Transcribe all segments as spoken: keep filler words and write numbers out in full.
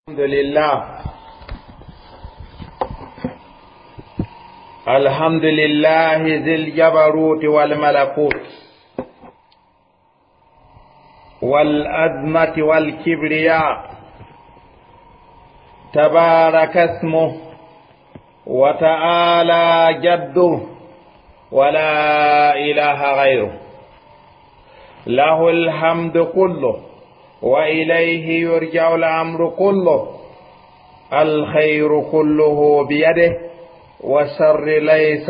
الحمد لله الحمد لله ذي الجبروت والملكوت والأزمة والكبرياء تبارك اسمه وتعالى جده ولا إله غيره له الحمد كله وإليه يرجع الأمر كله الخير كله بيده والشر ليس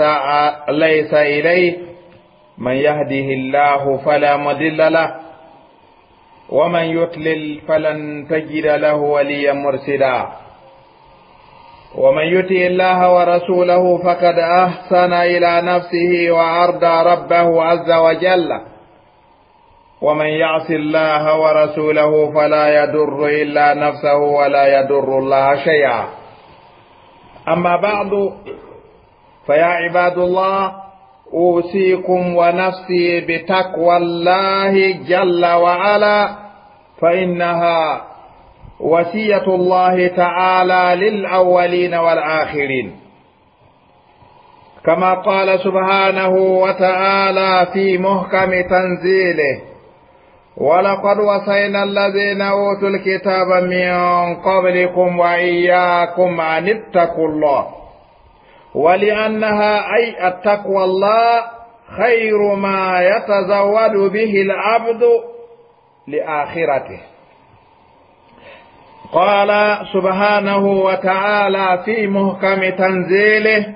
ليس إليه من يهده الله فلا مضل له ومن يضلل فلن تجد له وليا مرشدا ومن يطع الله ورسوله فقد أحسن إلى نفسه وأرضى ربه عز وجل ومن يعص الله ورسوله فلا يضر إلا نفسه ولا يضر الله شيئا أما بعد فيا عباد الله أوصيكم ونفسي بتقوى الله جل وعلا فإنها وصية الله تعالى للأولين والآخرين كما قال سبحانه وتعالى في محكم تنزيله ولقد وصينا الذين أوتوا الكتاب من قبلكم وإياكم أن اتقوا الله ولأنها أي التقوى الله خير ما يتزود به العبد لآخرته قال سبحانه وتعالى في محكم تنزيله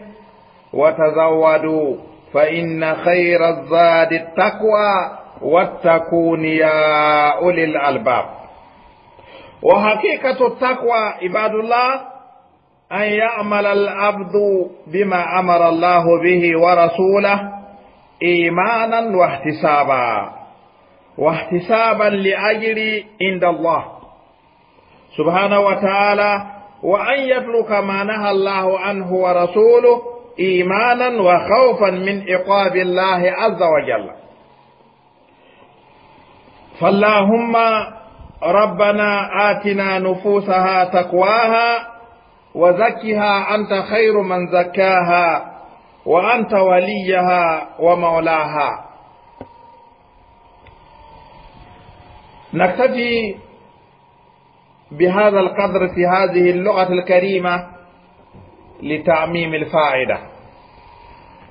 وتزودوا فإن خير الزاد التقوى واتقون يا أولي الألباب وحقيقة التقوى عباد الله أن يعمل العبد بما أمر الله به ورسوله إيمانا واحتسابا واحتسابا لأجر عند الله سبحانه وتعالى وأن يترك ما نهى الله عنه ورسوله إيمانا وخوفا من عقاب الله عز وجل فاللهم ربنا آتنا نفوسها تقواها وزكها أنت خير من زكاها وأنت وليها ومولاها نكتفي بهذا القدر في هذه اللغة الكريمة لتعميم الفائدة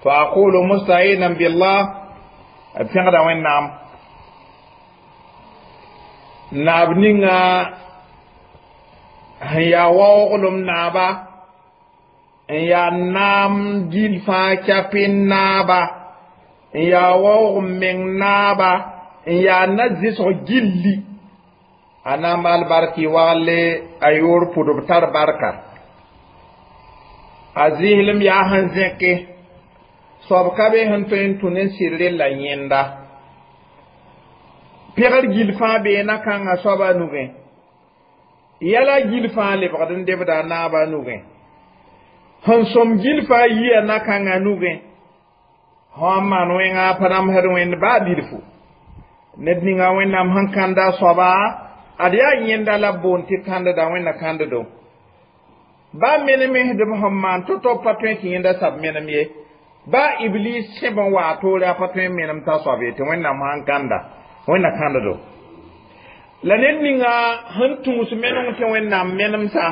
فأقول مستعينا بالله أبتغد وين نعم naab ninga sẽn yaa waooglem naaba n yaa naam gil fãa kɛpɩn naaba n yaa waoog meng naaba n yaa na-zɩsg gilli a na n maal bark y wagle a yoor pʋdb tar barka a zɩslem yaa sẽn zẽke soab ka be sẽn tõe n tũ ne sɩd rella yẽnda pegr gil fãa bee na-kãngã soaba nugẽ yɛla gil fãa lebgd n debda a naabã nugẽ sẽn sõm gil fãa yia na-kãngã nugẽ sã n maan wẽnga pa namsd wẽnd baa bilfu ned ninga wẽnnaam sẽn kãnda a soaba ad yaa yẽnda la b boond tɩ kãndda wẽnna kãnddo baa menemsdb sẽn maan to-to pa tõe tɩ yẽnda sab menem ye baa iblis sẽb n waa toore a pa tõe n menem t'a soab ye tɩ wẽnnaam sãn kãnda wẽnna kãnddo la ned ninga sẽn tũus meneng tɩ wẽnnaam menemsa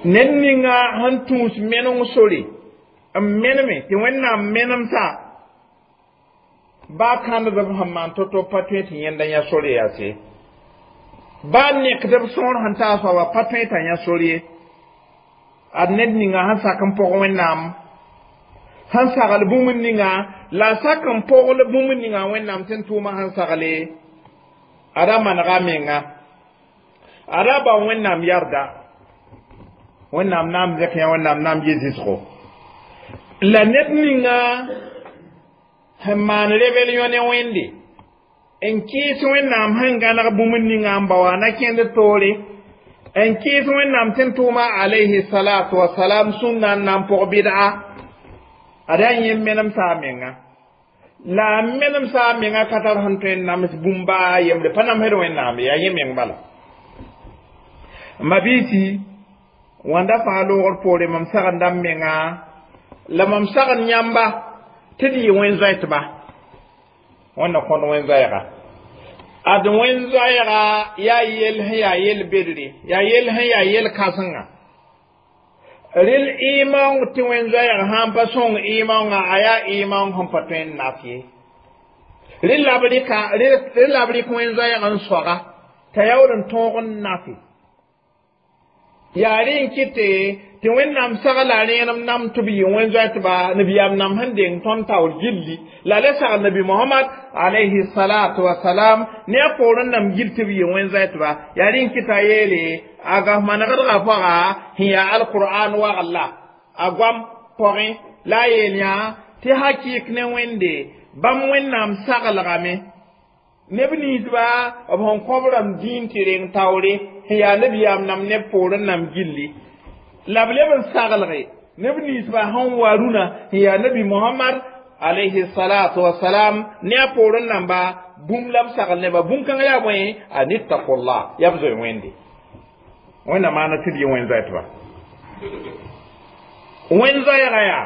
ned ninga sẽn tũus meneng sore n meneme tɩ wẽnnaam menemsa baa kãndb sẽn maan to-to pa tõe tɩ yẽnda yã sore yaa se baa nekdb sõor sẽn taa soaba pa tõe t'a yã sore ye ad ned ninga sẽn sak n pʋg wẽnnaam sẽn sagl bũmb ninga la a sak n pogl bũmb ninga wẽnnaam tɩ n tʋʋma sẽn sagle ada manega menga ada ba wẽnnaam yarda wẽnnaam naam zẽk yã wẽnnaam naam yɩ zɩsgo la ned ninga sẽn maan rebel yõ ne wẽnde n kɩɩs wẽnnaam sẽn gãneg bũmb ninga n ba wa na kẽnd toore n kɩɩs wẽnnaam tɩ n tʋʋma alayhi salatu wasalam sũnna n na n pʋg bɩd'a ada yẽ menemsa a menga la a menemsa a menga ka tar sẽn tõe n nams bũmba a yembre pa namsd wẽnnaam yaa yẽ meng bala Mabisi wãnda fãa loogr poore mam sagenda m menga la mam sagn yãmba tɩ d yɩ wẽn-zoɛtba. Wẽnna kõt wẽn-zoɛɛga. Ad wẽn-zoɛɛga yaa yell sẽn yaa yel-bedre, yaa yell sẽn yaa yel-kãsenga. Rel ɩ-maoong tɩ wẽn-zoɛɛg sã n pa sõng ɩ-maoongã, a yaa ɩ-maoong sẽn pa tõe n naf ye. Rel la b rɩka, rel la b rɩk wẽn-zoɛɛg n soaga t'a yaool n tõog n nafe. Yaa rẽ n kɩte tɩ Wẽnnaam sagla rẽenem nam tɩ b yɩ wẽn-zoɛtba nabiyaam nam sẽn deng tõnd taoor gilli la le sagl Nabi Mohamad alayhi salatu wasalam ne a poorẽ nam gil tɩ b yɩ wẽn-zoɛtba. Yaa rẽ n kɩta yeele a gaf manegdgã pʋga sẽn yaa alqur'an wagl la a goam pʋgẽ la a yeel yã tɩ hakɩɩk ne Wẽnde bãmb Wẽnnaam saglgame neb ninsba b sẽn kõb rãmb dĩin tɩ reng taoore sẽn yaa nabiyaam nam neb poorẽ nam gilli la b leb n saglge neb ninsba sẽn wa rũnã sẽn yaa Nabi Mohamad alayhi salatu wasalam ne a poorẽ namba bũmb la b sagl neba bũn-kãngã yaa bõe an ittaqullah yaa b zoe Wẽnde. Wẽnna maana tɩ d yɩ wẽn-zoɛtba. Wẽn-zoɛɛga yaa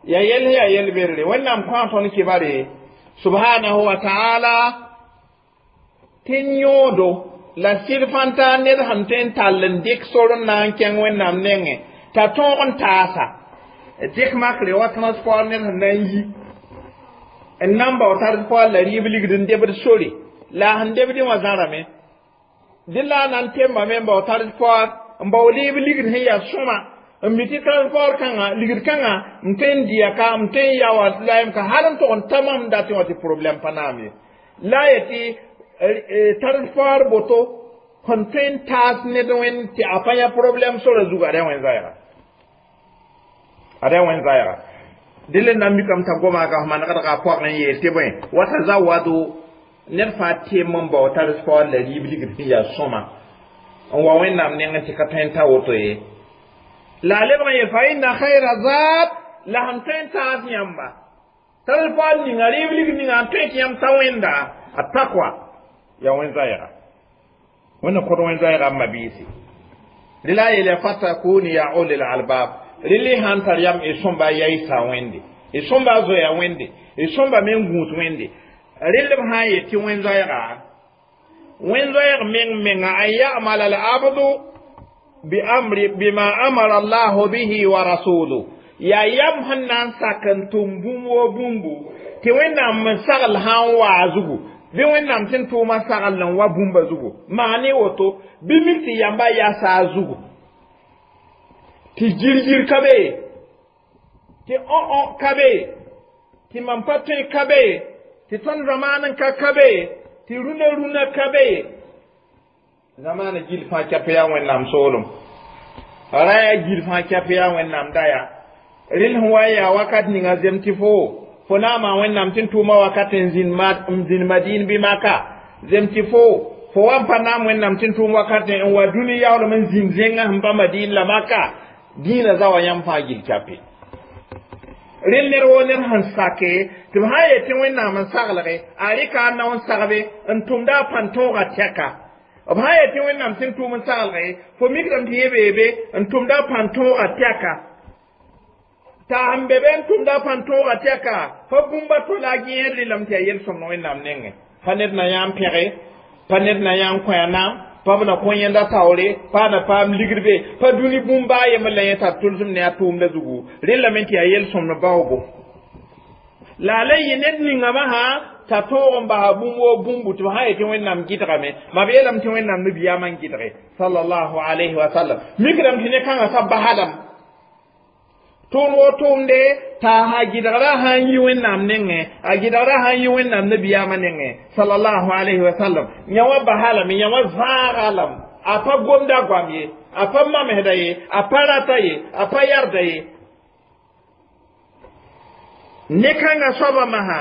ya yell yaa yel-berre. Wẽnnaam kõ tõnd kibare subhanahu wa ta'ala tɩ yõodo la sɩd fãn taa ned sẽn tõe n tall n dɩk sor n na n kẽng Wẽnnaam nengẽ t'a tõog n taasa dɩk makre wa transport ned sẽn na n yi n na n bao transport la rɩɩb ligd n debd sore la a sẽn debdẽ wã zãrame dẽ la a na n tembame n bao transport n bao rɩɩb ligd sẽn yaa sõma n mi tɩ transport kãngã ligd kãngã n tõe n dɩya ka n tõe n yaoa layem ka hal n tog n ta mam datẽ wã tɩ problème pa naam ye la a yetɩ transport boto sẽn tõe n taas ned wẽnd tɩ a pa yã problème sora zugu a ra wẽn-zaɛɛga a ra wẽn-zaɛɛga dẽl n na n mikame t'a goma a manegdga pʋgẽ n yeel tɩ bõe wa tazawadu ned fãa tem n bao transport la rɩɩb ligd sẽn yaa sõma n wa Wẽnnaam nengẽ tɩ ka tõe n ta woto ye la a lebg n yeel fa inna khayra zad la sẽn tõe n taas yãmba transport ninga rɩɩb ligd ninga n tõe tɩ yãmb ta wẽnda a takwa yaa wẽn-zaɛɛga. Wẽnna kõt wẽn-zaɛɛga n mabiisi rela a yeela fatakuni ya ulil albab rel sãn tar yam y sõmba yaɩsa Wẽnde y sõmba zoya Wẽnde y sõmba me n gũus Wẽnde rel b sã n yet tɩ wẽn-zoɛɛga wẽn-zoɛɛg meng menga an yamala al abdu bi amri bima amara allahu bihi wa rasuluhu yaa yam sẽn na n sak n tʋm bũmb wo bũmbu tɩ Wẽnnaam n sagl sã n waa zugu bɩ Wẽnnaam tɩ n tʋʋmã sagl n wa bũmba zugu maane woto bɩ mik tɩ yamba yaa saa zugu tɩ gir-gir ka be tɩ õ-õ ka be tɩ mam pa tõe ka be tɩ tõnd zamaan n ka ka be tɩ rũnã rũnã ka be zamaana gil fãa kɛp yaa Wẽnnaam soolem ra yaa gil fãa kɛp yaa Wẽnnaam daya rel sẽn wa n yaa wakat ninga zem tɩ fo fo na n maan Wẽnnaam tɩ n tʋʋma wakat n zĩnd Madin bɩ Maka zem tɩ fo fo wa n pa naam Wẽnnaam tɩ n tʋʋm wakat n wa dũni yaoolem n zĩnd zẽngã sẽn pa Madin la Maka dĩinã za wa yãmb fãa gil kɛpe rel ned woo ned sẽn sake tɩ b sã n yet tɩ Wẽnnaam n saglge a rɩka a nao n sagbe n tʋmda a pãn-tõogã tɛka b sã n yet tɩ Wẽnnaam tɩ n tʋʋm n saglge fo mikdame tɩ yẽ beebe n tʋmda a pãn-tõogã tɛka t'a sẽn be be n tʋmda a pãn-tõogã tɛka fa bũmba to la a gẽed rɩlame tɩ yaa yel-sõmd Wẽnnaam nengẽ pa ned na yã n pẽge pa ned na yã n kõ a naam pa b na kõ yẽnda taoore pa na paam ligd be pa dũni bũmba a yembr la yẽ tar tʋlsem ne a tʋʋmda zugu rẽllame tɩ yaa yel-sõmd baoogo la a la yɩ ned ningame sã t'a tõog n basa bũmb woo bũmbu tɩ b sã n yetɩ Wẽnnaam gɩdgame ma b yeelame tɩ Wẽnnaam nabiyaamã n gɩdge sallallahu alayhi wa sallam mikdame tɩ ne kãngã sa basadame tʋʋm woo tʋʋmde t'a a gɩdgrã sã n yi Wẽnnaam nengẽ a gɩdgrã sã n yi Wẽnnaam nabiyaamã nengẽ sallallahu alayhi wa sallam yã wã basa lame yã wã zãaga lame a pa gomda goam ye a pa mamsda ye a pa rata ye a pa yarda ye ne kãngã soabã masã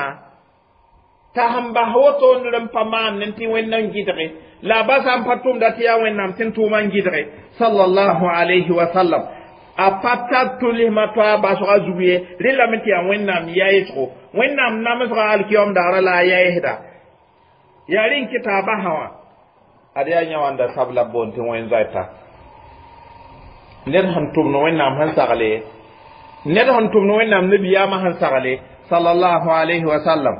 t'a sẽn bas woto ned n pa maan ne tɩ Wẽnnaam gɩdge la a basa n pa tʋmda tɩ yaa Wẽnnaam tɩ n tʋʋmã n gɩdge sallallahu alayhi wa sallam a pa tar tʋlsmã to a basga zug ye rẽllame tɩ yaa Wẽnnaam yaɩsgo Wẽnnaam namsga alkiyom daara la a yaɩsda yaa rẽ n kɩta a basã wã Ad yaa yã wãnda sab la b boond tɩ wẽn-zoɛta ned sẽn tʋmd Wẽnnaam sẽn sagle, ned sẽn tʋmd Wẽnnaam nabiyaamã sẽn sagle sallallahu alayhi wa sallam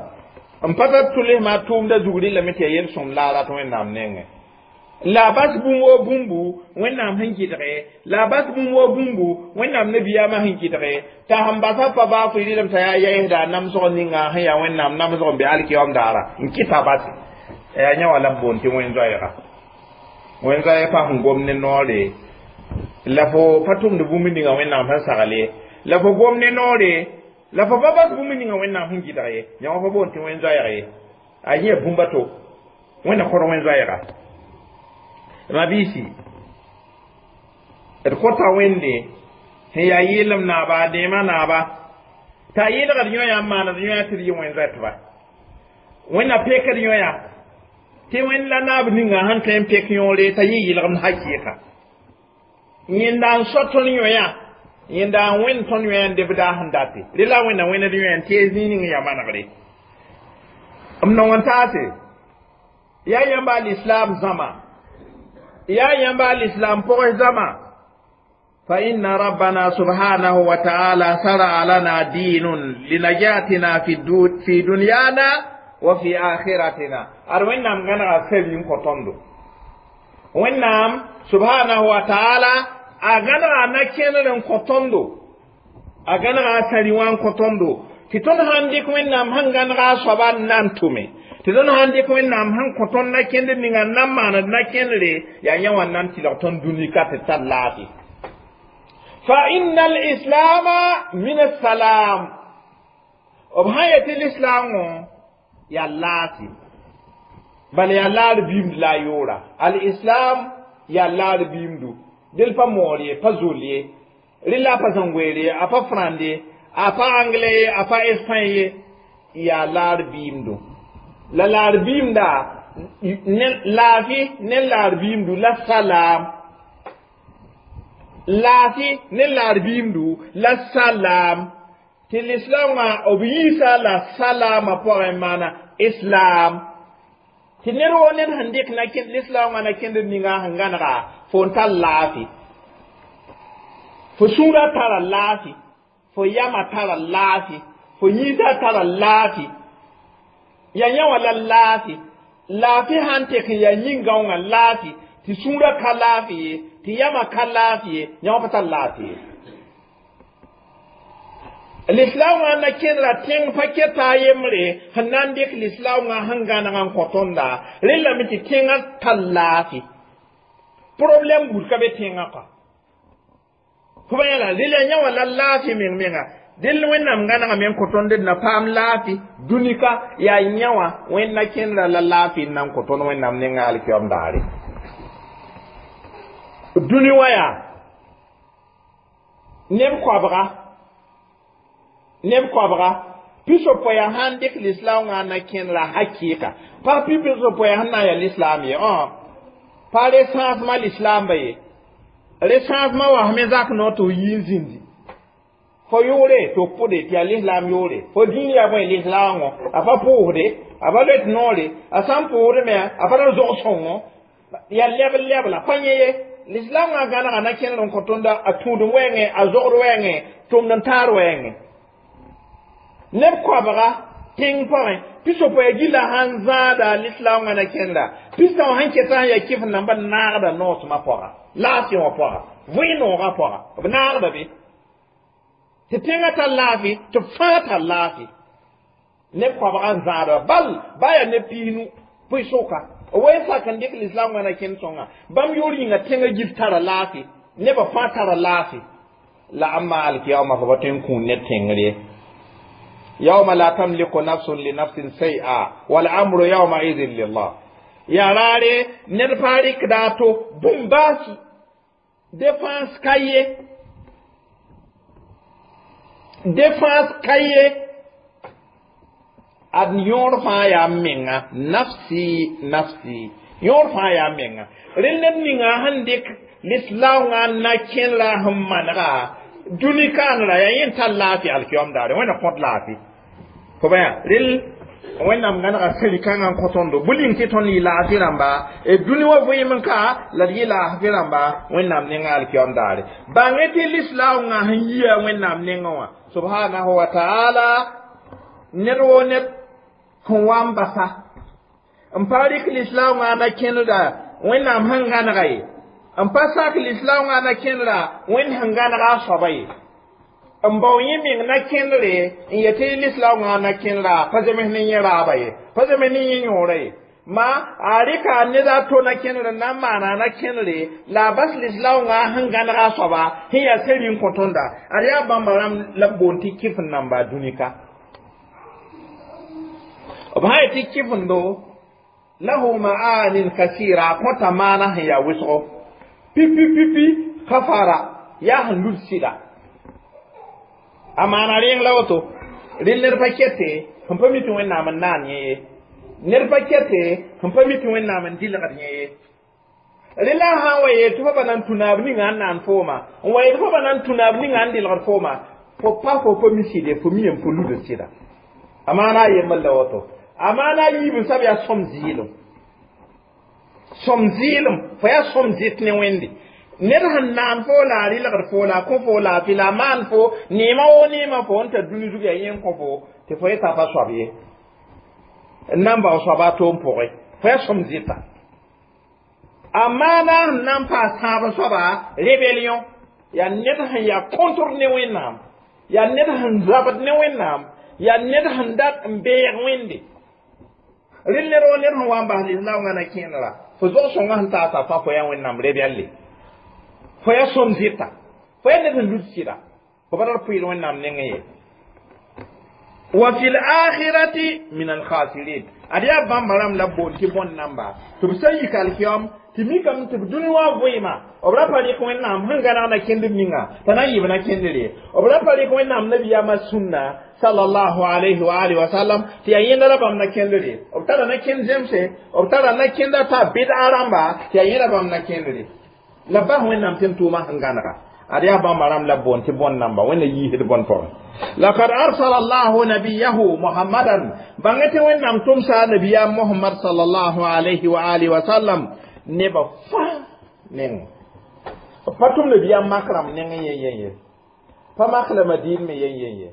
n pa tar tʋlsmã tʋʋmda zug rɩlame tɩ yaa yel-sõm la a rat Wẽnnaam nengẽ la a bas bũmb woo bũmbu Wẽnnaam sẽn kɩdge, la a bas bũmb woo bũmbu Wẽnnaam nabiyaamã sẽn kɩdge t'a sẽn basa pa baa fo rɩlem t'a yaa yɛɛsda a namsg ninga sẽn yaa Wẽnnaam namsg n be alkiyaoom daara n kɩta base yaa yã wã la b boond tɩ wẽn-zoɛɛga. Wẽn-zoɛɛg pa sẽn gom ne noore la fo pa tʋmd bũmb ninga Wẽnnaam sẽn sagl ye, la fo gom ne noore la fo pa bas bũmb ninga Wẽnnaam sẽn kɩdg ye. Yã wã pa boond tɩ wẽn-zoɛɛg ye, a yẽ bũmba to Wẽnna kõr wẽn-zoɛɛga. Mabiisi, d kõta Wẽnde sẽn yaa yɩɩlem naaba, a dẽemã naaba, t'a yɩlgd yõ-yã n maand yõ-yã tɩ d yɩ wẽn-zoɛtba. Wẽnna pekd yõ-yã tɩ Wẽnd la naab ninga sẽn tõe n pek yõore t'a yɩ yɩlgemd hakɩɩka. Yẽnda n so tõnd yõ-yã, yẽnda n wẽnd tõnd yõ-yã n deb daa sẽn date rẽ la Wẽnna wẽned yõ-yã n tɩ zĩig ning yaa manegre. M nong n taase yaa yãmba alislam zãma, yaa yãmba alislam pʋgẽ zãma. فإن ربنا سبحانه وتعالى شرع لنا دين لنجاتنا في, في دنيانا وفي آخرتنا. أر وينام غنا سبين كوتوندو وينام سبحانه وتعالى أغنى نكين كوتوندو أغنى سريوان كوتوندو tɩ tõnd sãn dɩk Wẽnnaam sẽn gãnega a soaba n na n tʋme, tɩ tõnd sãn dɩk Wẽnnaam sẽn kõ tõnd na kẽnd ninga n na n maand na kẽndre yaa yã wã n na n tɩlg tõnd dũni ka tɩ tar laafɩ. فإن الإسلام من السلام b sã yetɩ l'islam yaa laafɩ, bala yaa laar biimd la a yʋʋra. Al-islam yaa laar biimdu del pa moor ye, pa zol ye, rɩla a pa zãngoeer ye, a pa frãnd ye, a pa anglais ye, a pa espagne ye, yaa laar biimdu. La laar biimda laafɩ ne laar biimdu la salaam, laafɩ ne laar biimdu la salaam, tɩ lislaamã b yiisa la salaamã pʋgẽ maana islam, tɩ ned woo ned sẽn dɩk na lislaamã na kẽnd ninga sẽn gãnega fo n tar laafɩ, fo sũurã tara laafɩ, fo yamã tara laafɩ, fo yĩnsã tara laafɩ, ya yã wã la laafɩ. Laafɩ sãn tek n yaa yĩn-gãongã laafɩ tɩ sũurã ka laafɩ ye, tɩ yamã ka laafɩ ye, yã wã pa tar laafɩ ye. Lislaamã na kẽndra tẽng pa keta a yembre sẽn na n dɩk lislaamã sẽn gãneg n kõ tõnda rẽ lame tɩ tẽngã tar laafɩ, problème buud ka be tẽngã kɔa fo ba yãla rɩla yã wã la laafɩ meng menga. Dẽl Wẽnnaam gãnegame n kõ tõnd d na paam laafɩ dũni ka yaa yã wã Wẽnd na kẽndra la laafɩ n na n kõ tõnd Wẽnnaam nenga alkiyoam daare. Dũni wã yaa neb koabga, neb koabga piso-poɛya sãn dɩk lislaoongã na kẽndra hakɩɩka pa pi piso-poɛya sẽn na n yaa lislaam ye, pa recensement lislaamba ye. Recensement wa me zak no tɩ f yi n zĩndi fo yʋʋre tɩ f pʋde tɩ yaa lislaam yʋʋre, fo dĩin yaa bõe lislaoongõ, a pa pʋʋsde, a pa loet noore, a sã n pʋʋsdme a pa ra zog sõngo yaa lɛb lɛbla pa yẽ ye. Lislaamã gãnega na kẽndr n kõ tõnda a tũudem wɛɛngẽ, a zogd wɛɛngẽ, tʋmd n taar wɛɛngẽ. Neb koabga tẽng pʋgẽ piso-poɛɛ gilla sãn zãada lislaoongã na kẽndra pistã wã sẽn keta sẽn yaa kɩf namba naagda noosmã pʋga, laafɩ wã pʋga, vɩ-noogã pʋga b naagda be tɩ tẽngã tar laafɩ, tɩ fãa tar laafɩ. Neb koabga n zãada bal ba yaa neb piisnu pʋɩ-sʋka wen sak n dɩk lislaamã na kẽnd sõnga bãmb yʋʋr yĩnga tẽngã gil tara laafɩ, nebã fãa tara laafɩ. La ãmba alkiyama fo pa tõe n kũun ne tẽngr ye. يوم لا تملك نفس لنفس شيئا والأمر يومئذ لله. Ya raare ned pa rɩkda a to bũmb-baasi défense ka ye, défense ka ye, ad yõor fãa yaa menga nafsi nafsi, yõor fãa yaa menga. Rẽ ned ninga sẽn dɩk lislaoongã na kẽndra sẽn manega dũni kaanra yaa yẽ tar laafɩ alkiyom daare Wẽnna kõt laafɩ fo ba yaa rel. Wẽnnaam gãnega seri kãngã n kõ tõndo bʋ ning tɩ tõnd yɩ laafɩ rãmba d dũni wã vɩɩm n ka la d yɩ laafɩ rãmba Wẽnnaam nengã alkiyam daare. Bãng tɩ lislaoongã sẽn yia Wẽnnaam nengã wã subhanahu wa taala ned woo ned sẽn wa n basa n pa rɩk lislaoongã na kẽneda Wẽnnaam sẽn gãnega ye, n pa sak lislaoongã na kẽneda Wẽnd sẽn gãnega a soaba ye, n bao yẽ meng na kẽndre n yetɩ lislaoongã na kẽnera pa zems ne yẽ raaba ye, pa zems ne yẽ yõora ye, ma a rɩka ned a to na kẽndr n na n maana na kẽndre la a bas lislaoongã sẽn gãnega a soaba sẽn yaa seri n kõ tõnda. Ad yaa bãmba rãmb la b boond tɩ kɩf n namba dũni ka. B sã yetɩ kɩfendo lahu ma'anin kasira, kõta maana sẽn yaa wʋsgo pipi pipi kafara yaa sẽn lud sɩda a maana rẽng la woto. Rẽnd ned pa kɛte sẽn pa mi tɩ Wẽnnaam n naan yẽ ye, ned pa kɛte sẽn pa mi tɩ Wẽnnaam n dɩlgd yẽ ye. Rẽ la sã n wa yeel tɩ fo pa na n tũ naab ninga n naan fooma, n wa yeel fo pa na n tũ naab ninga n dɩlgd fooma, fo pa fo pa mi sɩde, fo mi yem fo lud sɩda. A maana a yembr la woto. A maana a yiib n sab yaa sõm zɩɩlem, sõm zɩɩlem fo yaa sõm zɩt ne Wẽnde. Ned sẽn naan fo la a rɩlgd fo la a kõ fo laafɩ la a maan fo neema woo neema fo n tar dũni zug yaa yẽ n kõ fo tɩ fo yeta pa soab ye n na n bao soaba a toom pʋgẽ, fo yaa sõm zɩta. A maana sẽn na n paas tãab soaba rébellion, yaa ned sẽn yaa contre ne Wẽnnaam, yaa ned sẽn zabd ne Wẽnnaam, yaa ned sẽn dat n beeg Wẽnde. Rẽnd ned woo ned sẽn wa n bas lislaoongã na kẽnera fo zog sõngã sẽn taasa fãa fo yaa Wẽnnaam rebelle, fo yaa sõm zɩta, fo yaa ned sẽn lud sɩda, fo pa tar pʋɩɩd Wẽnnaam nengẽ ye. Wa fi lakhirati min alkhasirin. Ad yaa bãmba rãmb la b boond tɩ bõn namba tɩ b sã n yik alkiyam tɩ mikame tɩ b dũni wã vɩɩma b ra pa rɩk Wẽnnaam sẽn gãneg na kẽndb ninga t'a na n yɩb na kẽndr ye, b ra pa rɩk Wẽnnaam nabiyaamã sũnna sallallahu alayhi wa alihi wa sallam tɩ yaa yẽnda la bãmb na kẽndr ye, b tara na kẽnd zemse, b tara na kẽnda t'a bɩd'a rãmba tɩ yaa yẽda bãmb na kẽndr ye la bas Wẽnnaam tɩ n tʋʋmã sẽn gãnega. Ad yaa bãmba rãmb la b boond tɩ bõn namba Wẽnna yiisd bõn pʋgẽ. Lakad arsala allahu nabiyahu Muhammadan, bãngẽ tɩ Wẽnnaam tʋmsa nabiyaam Mohamad sallallahu alayhi wa alihi wa sallam nebã fãa neng. Pa tʋm nabiyaam mak rãmb neng yen yen ye, pa mak la Madin me yen yen ye,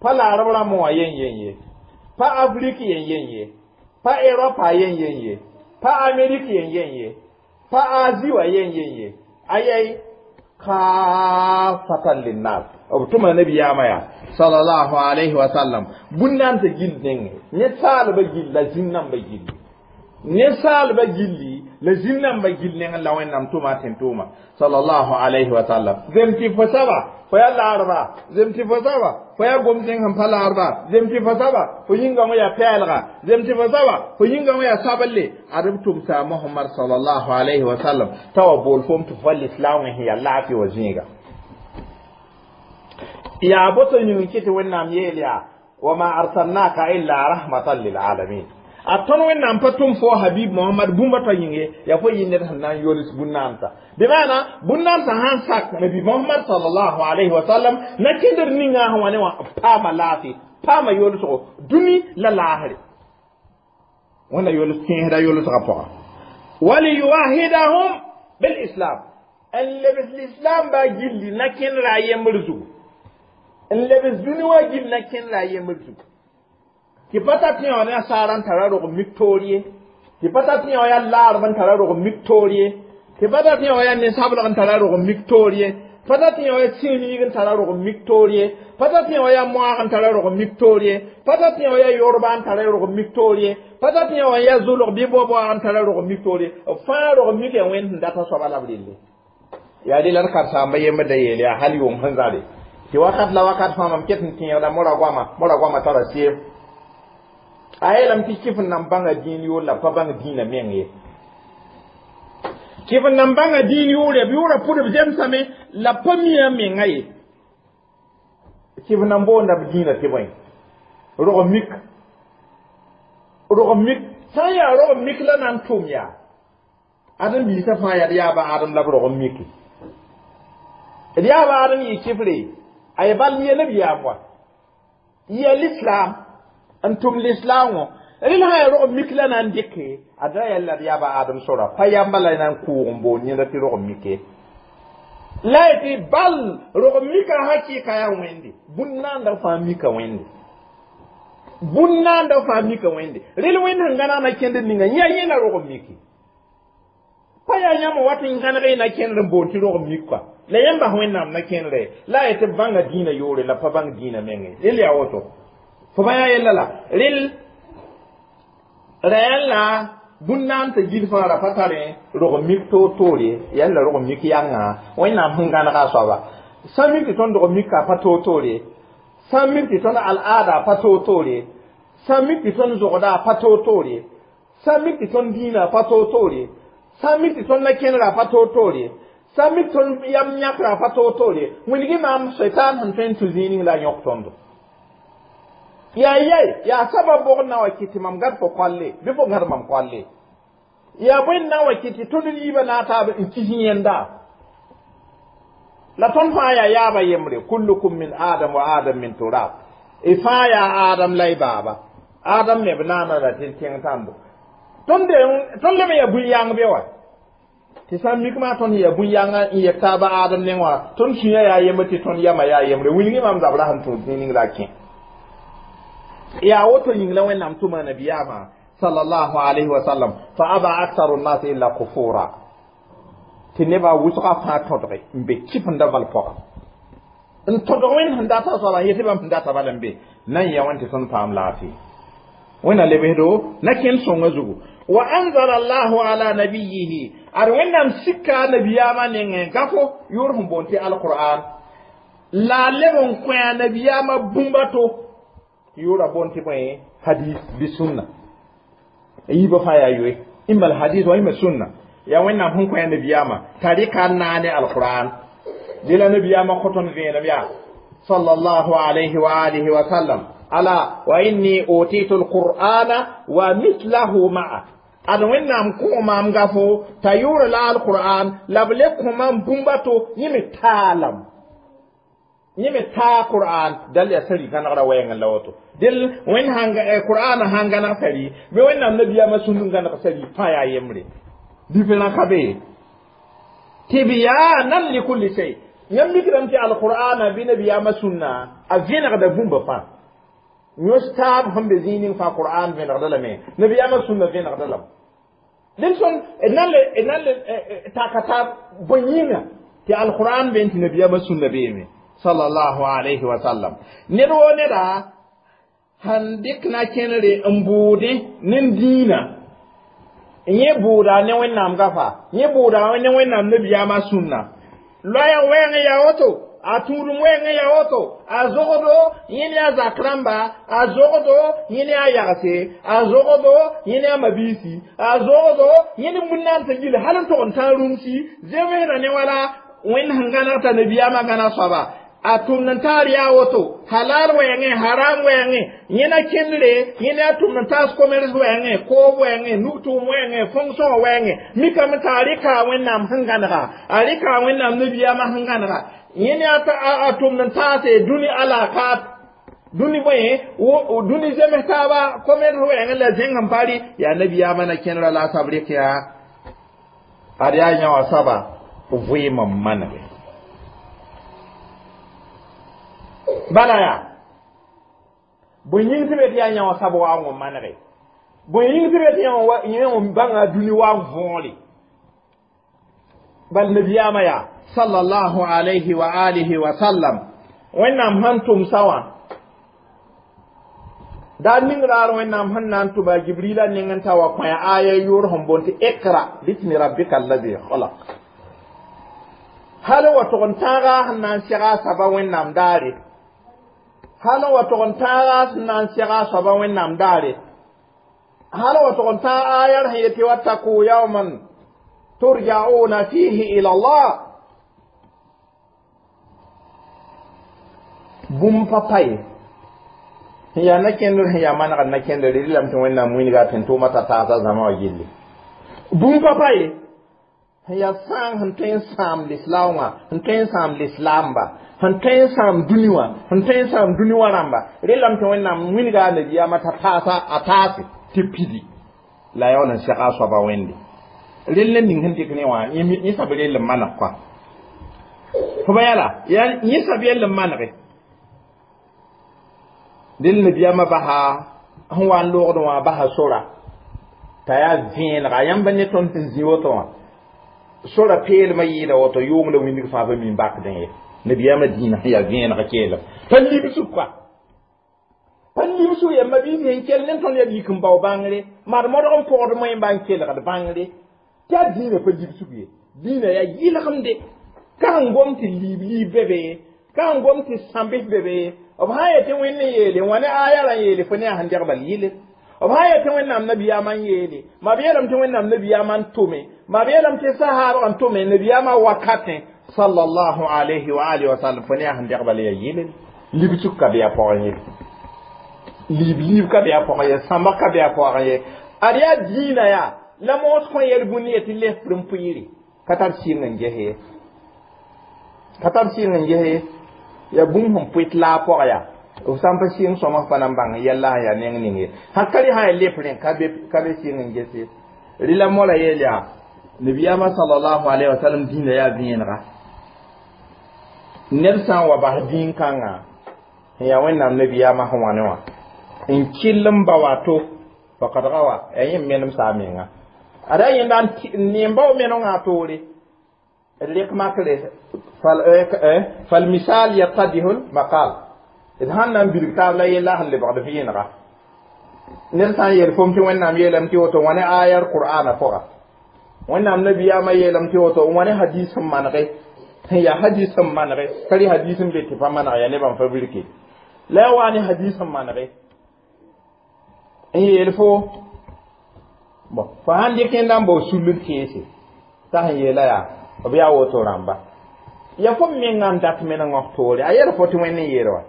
pa laarb rãmb wã yen yen ye, pa Afrik yen yen ye, pa Eropa yen yen ye, pa Amerik yen yen ye, pa Azi wã yen yen ye, ayɛy kafatan linnas. B tʋma nabiyaamã yaa sallallahu alayhi wa sallam bũn-nansã gill nengẽ, nensaalbã gill la zĩm-nambã gilli, nensaalbã gilli la zĩm-nambã gill nengẽ la Wẽnnaam tʋma tɩ n tʋʋma sallallahu alayhi wa sallam. Zem tɩ fo saba fo yaa laarba, zem tɩ fo saba fo yaa gom-tẽng sẽn pa laarba, zem tɩ fo saba fo yĩngã wã yaa pɛɛlga, zem tɩ fo saba fo yĩngã wã yaa sabelle, ad b tʋmsa Mohamad sallallahu alayhi wa sallam t'a wa bool fom tɩ fo lislaoongẽ sẽn yaa laafɩ wã zĩiga. Yaa boto yĩng kɩ tɩ Wẽnnaam yeel yaa wama arsalnaka illa rahmatan lilalamin. A tõnd Wẽnnaam pa tʋm fo Habib Mohamad bũmba t'a yĩnge yaa fo yɩ ned sẽn na n yols bũn-naamsa, bɩ maana bũn-naamsã sãn sak nabi Mohamad sallallahu alayhi wa sallam na kẽndr ninga sẽn wa ne wã paama laafɩ, paama yolsgo dũni la laasre Wẽnna yols tẽesda yolsgã pʋga. Waliyuwahidahum bilislam, n lebs lislam baa gilli na kẽndra a yembr zugu, n lebs dũni wã gill na kẽndra a yembr zugu, tɩ pa ta tẽ wã ne a saara n tara rog mik toor ye, tɩ pa ta tẽ wã yaa laarb n tara rog mik toor ye, tɩ pa ta tẽ wã yaa ninsableg n tara rog mik toor ye, pa ta tẽ wã yaa sĩimiig n tara rog mik toor ye, pa ta tẽ wã yaa moaag n tara rog mik toor ye, pa ta tẽ wã yaa yorba n tara rog mik toor ye, pa ta tẽ wã yaa zulg bɩ boa-boaag n tara rog mik toor ye. B fãa rog mik yaa Wẽnd sẽn data soaba la b relle. Yaa rela d karen-saamba yembr da yeel yaa hal yʋng sẽn zare tɩ wakat la wakat fãa mam ket n tẽegda mora goama, mora goama tara seem a yeelame tɩ kɩf n nan bãnga dĩin yʋʋr la pa bãng dĩinã meng ye, kɩf n nan bãnga dĩin yʋʋr b yʋʋra pʋd b zemsame la pa mia menga ye, kɩf n nan boonda b dĩinã tɩ bõe rog mik, rog mik sã n yaa rog mik la na n tʋm yaa ãdem biisã fãa yaa d yaaba Adem la b rog n miki, d yaaba Adem yɩ kɩfre a ye bal yɛ nabiyaam wa yɩ lislam. N tʋm lislaangõ rel sã yaa rog mik la na n dɩke a da yaa la d yaaba Adam sora pa yamba la na n kʋʋg n boond yẽnda tɩ rog mike la y tɩ bal rog mika hakɩɩka yaa wẽnde bũn-naandã fãa mika wẽnde bũn-naandã fãa mika wẽnde rel wẽnd sẽn gãneg na kẽndr ninga yã yẽ la rog miki pa yaa yãmb wat n gãneg y na kẽndr n boond tɩ rog mik kɔa la yãmb bas wẽnnaam na kẽndre la y tɩ b bãnga dĩinã yoore la pa bãng dĩinã menge rel yaa woto fo bã yaa yella la rel ra la bũn-naan t'a gil fãa ra pa tare rog mik toor-toore yaa la rog mik yãnga wẽnnaam sẽn gãnega a soaba sã mik tɩ tõnd rog mika pa toor-toore sã mik tɩ tõnd al'aada pa toor-toore sã mik tɩ tõnd zogda pa toor-toore sã mik tɩ tõnd dĩinã pa toor-toore sã mik tɩ tõnd na-kẽnera pa toor-toore sã mik tõnd yam yãkra pa toor-toore wilgi maam seitan sẽn tõe n tũ zĩig ning la a yõk tõndo yaa yai yaa sabab bʋgd na wa kɩ tɩ mam gad fo koalle bɩ fo gãd mam koalle yaa bõe na wa kɩ tɩ tõnd yiibã na taab n kis yẽnda la tõnd fãa yaa yaaba yembre kullukum min adam wa adam min turab y fãa yaa adam la y baaba adam me b naana la tɩ tẽng tãndo tõnd tõnd leb n yaa bũn-yãng be wa tɩ sã n mik maa tõnd yaa bũn-yãngã n yɛk taaba adam neng wã tõnd sũyã yaa yembre tɩ tõnd yamã yaa yembre wilgi maam zabra sẽn tũud zĩig ning la a kẽ yaa woto yĩng la wẽnnaam tʋma nabiyaamã sallallahu alayhi wa sallam fa aba aktharu nnas illa kufura tɩ nebã wʋsgã fãa tõdge n be kɩf n da bal pʋga n tõdg wẽnd sẽn data soaba n yetɩ bãmb sẽn data bala n be na n ya wẽn tɩ tõnd paam laafɩ wẽnna lebsdo na kẽnd sõngã zugu wa anzala allahu ala nabiyihi ad wẽnnaam sika nabiyaamã nengẽ gafo yʋʋr sẽn boond tɩ alqur'an la a leb n kõ a nabiyaamã bũmba to tɩ yʋʋra boond tɩ bõe hadis bɩ sunna yiibã fãa yaa yoe imma alhadis wa imma sunna yaa wẽnnaam sẽn kõ a nabiyaamã t'a rɩka n naane alqur'an dɩ la nabiyaamã kõ tõnd vẽenem yaa sallallahu alayhi wa alihi wa sallam ala wa inni utitu alqur'ana wa mithlahu ma'a ad wẽnnaam kõ maam gafo t'a yʋʋra la alqur'an la b le kõ maam bũmba to yẽ me taalam yẽ me taa qur'an dal yaa sari gãnegra wɛɛngẽ la woto del wẽnd sãn qur'ana sãn gãneg sari bɩ wẽnnaam nabiyaamã sũnd n gãneg sari fãa yaa yembre différent ka be tibyanan likulli shay yãmb mikdame tɩ alqur'ana bɩ nabiyaamã sũnna a vẽnegda bũmba fãa yõs taab sẽn be zĩig ning fãa qur'an vẽnegda lame nabiyaamã sũnna vẽnegda lame dẽn sõn d na n na n le taka taab bõe yĩnga tɩ alqur'an be n tɩ nabiyaamã sũnna beeme sallallahu alayhi wa sallam ned woo neda sãn dɩk na kẽnere n bʋʋdẽ ne dĩinã yẽ bʋʋda ne wẽnnaam gafa yẽ bʋʋda ne wẽnnaam nabiyaamã sũnna loɛɛg wɛɛngẽ yaa woto a tũudum wɛɛngẽ yaa woto a zogdo yẽnd yaa zak rãmba a zogdo yẽnd yaa yagse a zogdo yẽnd yaa mabiisi a zogdo yẽnd bũn-naan t'a yil hal n tog n tãag rũmsi zemsda ne wala wẽnd sẽn gãneg t'a nabiyaamã gãneg soaba a tʋmd n taar yaa woto halal wɛɛngẽ haram wɛɛngẽ yẽna kẽndre yẽnd yaa tʋmd n taas commerce wɛɛngẽ koob wɛɛngẽ nug-tʋʋm wɛɛngẽ fonction wɛɛngẽ mikame t'a rɩka wẽnnaam sẽn gãnega a rɩka wẽnnaam nabiyaamã sẽn gãnega yẽnd yaa a tʋmd n taase dũni alakat dũni bõe dũni zems taaba commerce wɛɛngẽ la zẽng n pa rɩ yaa nabiyaamã na kẽndra la a sab rɩk yaa ad yaa yã wã soaba vɩɩm n manege bala yaa bõe yĩng tɩ be tɩ yaa yã wã sab wa n manege bõe yĩng tɩ be tɩ yẽ wã bãnga dũni wa n võore bal nabiyaamã yaa sallallahu alayhi wa alihi wa sallam wẽnnaam sẽn tʋmsa wã daar ning raar wẽnnaam sẽn na n tʋma jibrila ning n ta wa kõ aya yʋʋr sẽn boond tɩ ikra bismi rabbika allazi khalaq hal wa tʋg n tãaga sẽn na n sega a saba wẽnnaam daare hal wa tʋg n tãaga sẽn na n sega a soaba wẽnnaam daare hal wa tʋg n tãag ayar sẽn yetɩ wattaku yawman turja'una fihi ila allah bũmb pa pa ye sẽn yaa na-kẽndr sẽn yaa manegd na-kẽndr rɩlame tɩ wẽnnaam wilga tɩ n tʋʋma t'a taasa zãma wã gilli bũmb pa pa ye Sẽn yaa sãang sẽn tõe n sãam lislaam wã, sẽn tõe n sãam lislaamba, sẽn tõe n sãam dũni wã, sẽn tõe n sãam dũni wã rãmba. Relame tɩ Wẽnnaam wilga a nabiyaamã t'a taasa a taase tɩ pidi la a yaool n sega a soaba wẽnde. Rel ne ning sẽn dɩk ne wã, yẽ sab rell n maneg kɔa. Fo ba yala, yẽ sab yell n manege. Rel nabiyaamã basa sẽn wa n loogd wã basa sora t'a yaa vẽenega yãmb ne tõnd sẽn zĩ woto wã. Sora peelmã yɩɩda woto yʋʋng la wĩndg fãa pa mi n bakdẽ ye. Nabiyaamã dĩinã sẽn yaa vẽeneg keelem pa libsg kɔa, pa libsg yamba biis sẽn kell ne tõnd yaa yik n bao bãngre maa d modg n pɔgd moẽmba n kelgd bãngre tɩ yaa dĩinã pa libsg ye. Dĩinã yaa yɩlgemde ka sẽn gom tɩ liib liib be be, ka sẽn gom tɩ sãmbs be be. B sã n yetɩ Wẽnd n yeele wã ne aya rã n yeele fo ne yaa sẽn degba yɩle. B sã n yetɩ Wẽnnaam nabiyaamã n yeele ma b yeelame tɩ Wẽnnaam nabiyaamã n tʋme, ma b yeelame tɩ sahaabg n tʋme nabiyaamã wakatẽ sallallahu alayhi wa alihi wa sallam, fo ne yaa sẽn degba la yaa yɩle. Libsg ka be a pʋgẽ ye, liib liib ka be a pʋgẽ ye, sãmbg ka be a pʋgẽ ye. Ad yaa dĩinã yaa la moos kõ yɛl bũni ye tɩ lefr n pʋɩɩre ka tar sɩng n ges ye, ka tar sɩng n ges ye. Yaa bũmb sẽn pʋɩt la a pʋgã yaa f sã n pa sɩng sõms pa na n bãng yɛlla sẽn yaa neng ning ye. Sã ka rẽ sã yaa lep rẽ ka be ka be sɩng n ges ye. Rɩla mola yeel yaa nabiyaamã sallallahu alayhi wa sallam dĩinã yaa vẽenega. Ned sã n wa bas dĩin-kãngã sẽn yaa Wẽnnaam nabiyaamã sẽn wa ne wã n kell n ba wato faqad gawa yaa yẽ menem saa menga. Ada yẽnda n ne n bao menengã toore rek makre falmisal yattadihu lmaqal d sãn na n bilg taab la yella sẽn lebgd vẽenega. Ned sã n yeel fom tɩ Wẽnnaam yeelame tɩ woto wã ne ayar qur'ana pʋga, Wẽnnaam nabiyaamã yeelame tɩ woto wã ne hadis sẽn manege sẽn yaa hadis sẽn manege ka rɩ hadis n be tɩ pa maneg yaa nebã n fa birke la yaa wa ne hadis sẽn manege n yeel fo bon fo sãn dɩk yẽnda n bao sulr keese t'a sẽn yeela yaa b yaa woto rãmba ya fo menga n dat meneng f toore a yɛl fo tɩ Wẽnd n yeel wa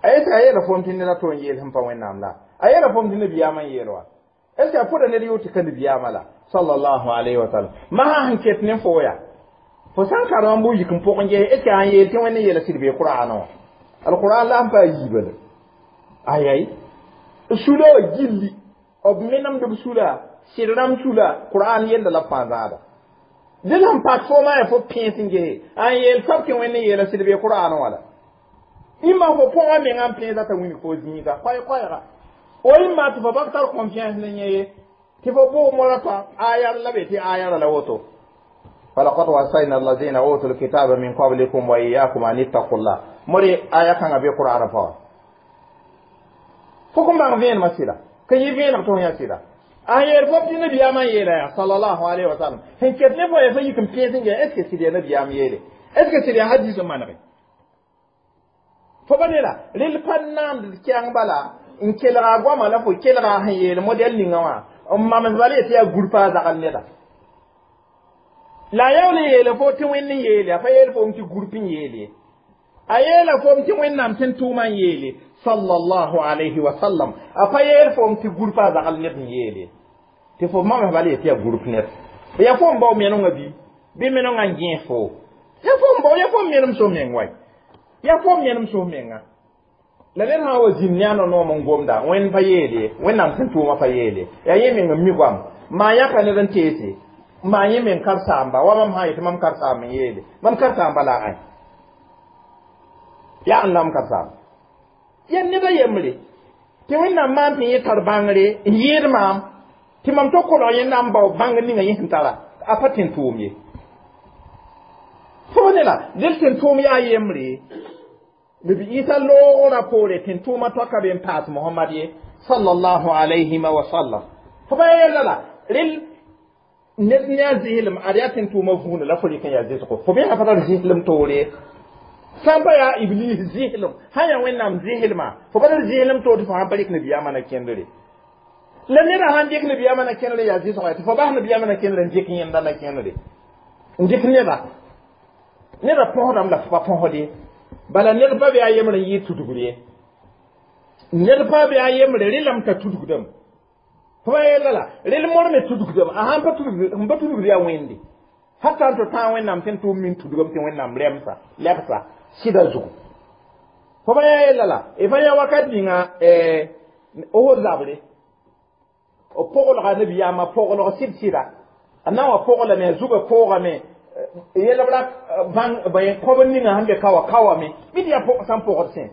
a est ce a yɛla fom tɩ ned a to n yeel sẽn pa Wẽnnaam la a yɛla fom tɩ nabiyaamã n yeel wa est ce que a pʋda ned yʋʋ tɩ ka nabiyaamã la sallallahu alayhi wa sallam masã sẽn ket ne fo yaa fo sã n karem n bʋ yik n pʋg n ges est ce que a n yeel tɩ Wẽnd n yeela sɩd bee Qur'aanã wã alqur'an la sẽn pa a yiiba la ayay sula wã gilli b menemd b sula sɩd rãmb sula Qur'an yella la b fãa zãada dẽ sẽn pak fo maa yaa fo pẽes n gese a n yeel soab tɩ Wẽnd n yeela sɩd bee Qur'an wã la ĩmma fo pʋgã mengã n pẽesa t'a wilg fo zĩiga koɛɛ-koɛɛga o ĩmma tɩ fo bak tar confiance ne yẽ ye tɩ fo bʋʋg mora t'a ayar la be tɩ ayara la woto falaqad wasayna alladhina utul kitaba min qablikum wa iyyakum an ittaqullah more aya kãngã be Qur'an pʋgã fo kõn bãng vẽenemã sɩda ka yɩ vẽeneg tɩ f yã sɩda a yeel fo tɩ nabiyaamã n yeela yaa sallallahu alayhi wa sallam sẽn ket ne fo yaa fa yik n pẽes n gɛ est ce que sɩd yaa nabiyaam yeele est ce que sɩd yaa hadis n manege fo ba ne la rel pa naamd kɛang bala n kelga goama la fo kelga sẽn yeel modɛl ninga wã n mams bala yetɩ yaa gurpa a zagl neda la a yaool n yeele fo tɩ Wẽnd n yeele a pa yeel fom tɩ gurp n yeel ye a yeela fom tɩ Wẽnnaam tɩ n tʋʋmã n yeele sallallahu alayhi wa sallam a pa yeel fom tɩ gurpa a zagl ned n yeele tɩ fo mams bala yetɩ yaa gurp ned yaa fo n bao menengã bɩ bɩ menengã n gẽes fo yaa fo n bao yaa fo n menem so meng way yaa fo n menem so menga la ned sã n wa zĩnd ne a no-noom n gomda Wẽnd pa yeele Wẽnnaam sẽn tʋʋmã pa yeele yaa yẽ meng n mi goam maa yãka ned n teese maa yẽ meng karsaamba wa mam sã n yetɩ mam karsaam n yeele mam karsaamba la a ãe yaa n la m karsaam yaa ned a yembre tɩ Wẽnnaam maan tɩ yẽ tar bãngre n yɩɩd maam tɩ mam to kolg yẽnda n bao bãngr ninga yẽ sẽn tara a pa tẽn tʋʋm ye fo ne la del tẽn tʋʋm yaa yembre nabi Isa loogrã poore tẽn tʋʋmã toaka be n paas Mohamad ye sallallahu alayhi wa sallam fo pa yella la rel ned ne a zɩslem ad yaa tẽn tʋʋmã vũuna la fo rɩk n yaa zɩsgo fo bẽsã pa tar zɩslem toore sã n pa yaa iblis zɩslem sã yaa Wẽnnaam zɩslmã fo pa tar zɩslem toor tɩ fo sãn pa rɩk nabiyaamã na kẽndre la neda sãn dɩk nabiyaamã na kẽndre yaa zɩsgo tɩ fo bas nabiyaamã na kẽndre n dɩk yẽnda na kẽndre n dɩk neda neda põsdame la fo pa põsd ye bala ned pa be a yembre n yɩɩ tudgr ye ned pa be a yembre rẽlame t'a tudgdame Fo yella la rel mor me tudugdame a sãn pa tudg n pa tudgd yaa wẽnde hatta n to tã wẽnnaam tɩ n tʋʋm min tudgame tɩ wẽnnaam rɛmsa lebsa sɩda zugu fo pa yã yella la y fa yã wakat ninga Ohod zabre b poglga nabiyaamã poglg sɩd sɩda a na n wa poglame a zugã poogame yelbra bãng kõb ninga sẽn be ka wa ka wame bɩ tɩ yaa sãn pogd sẽ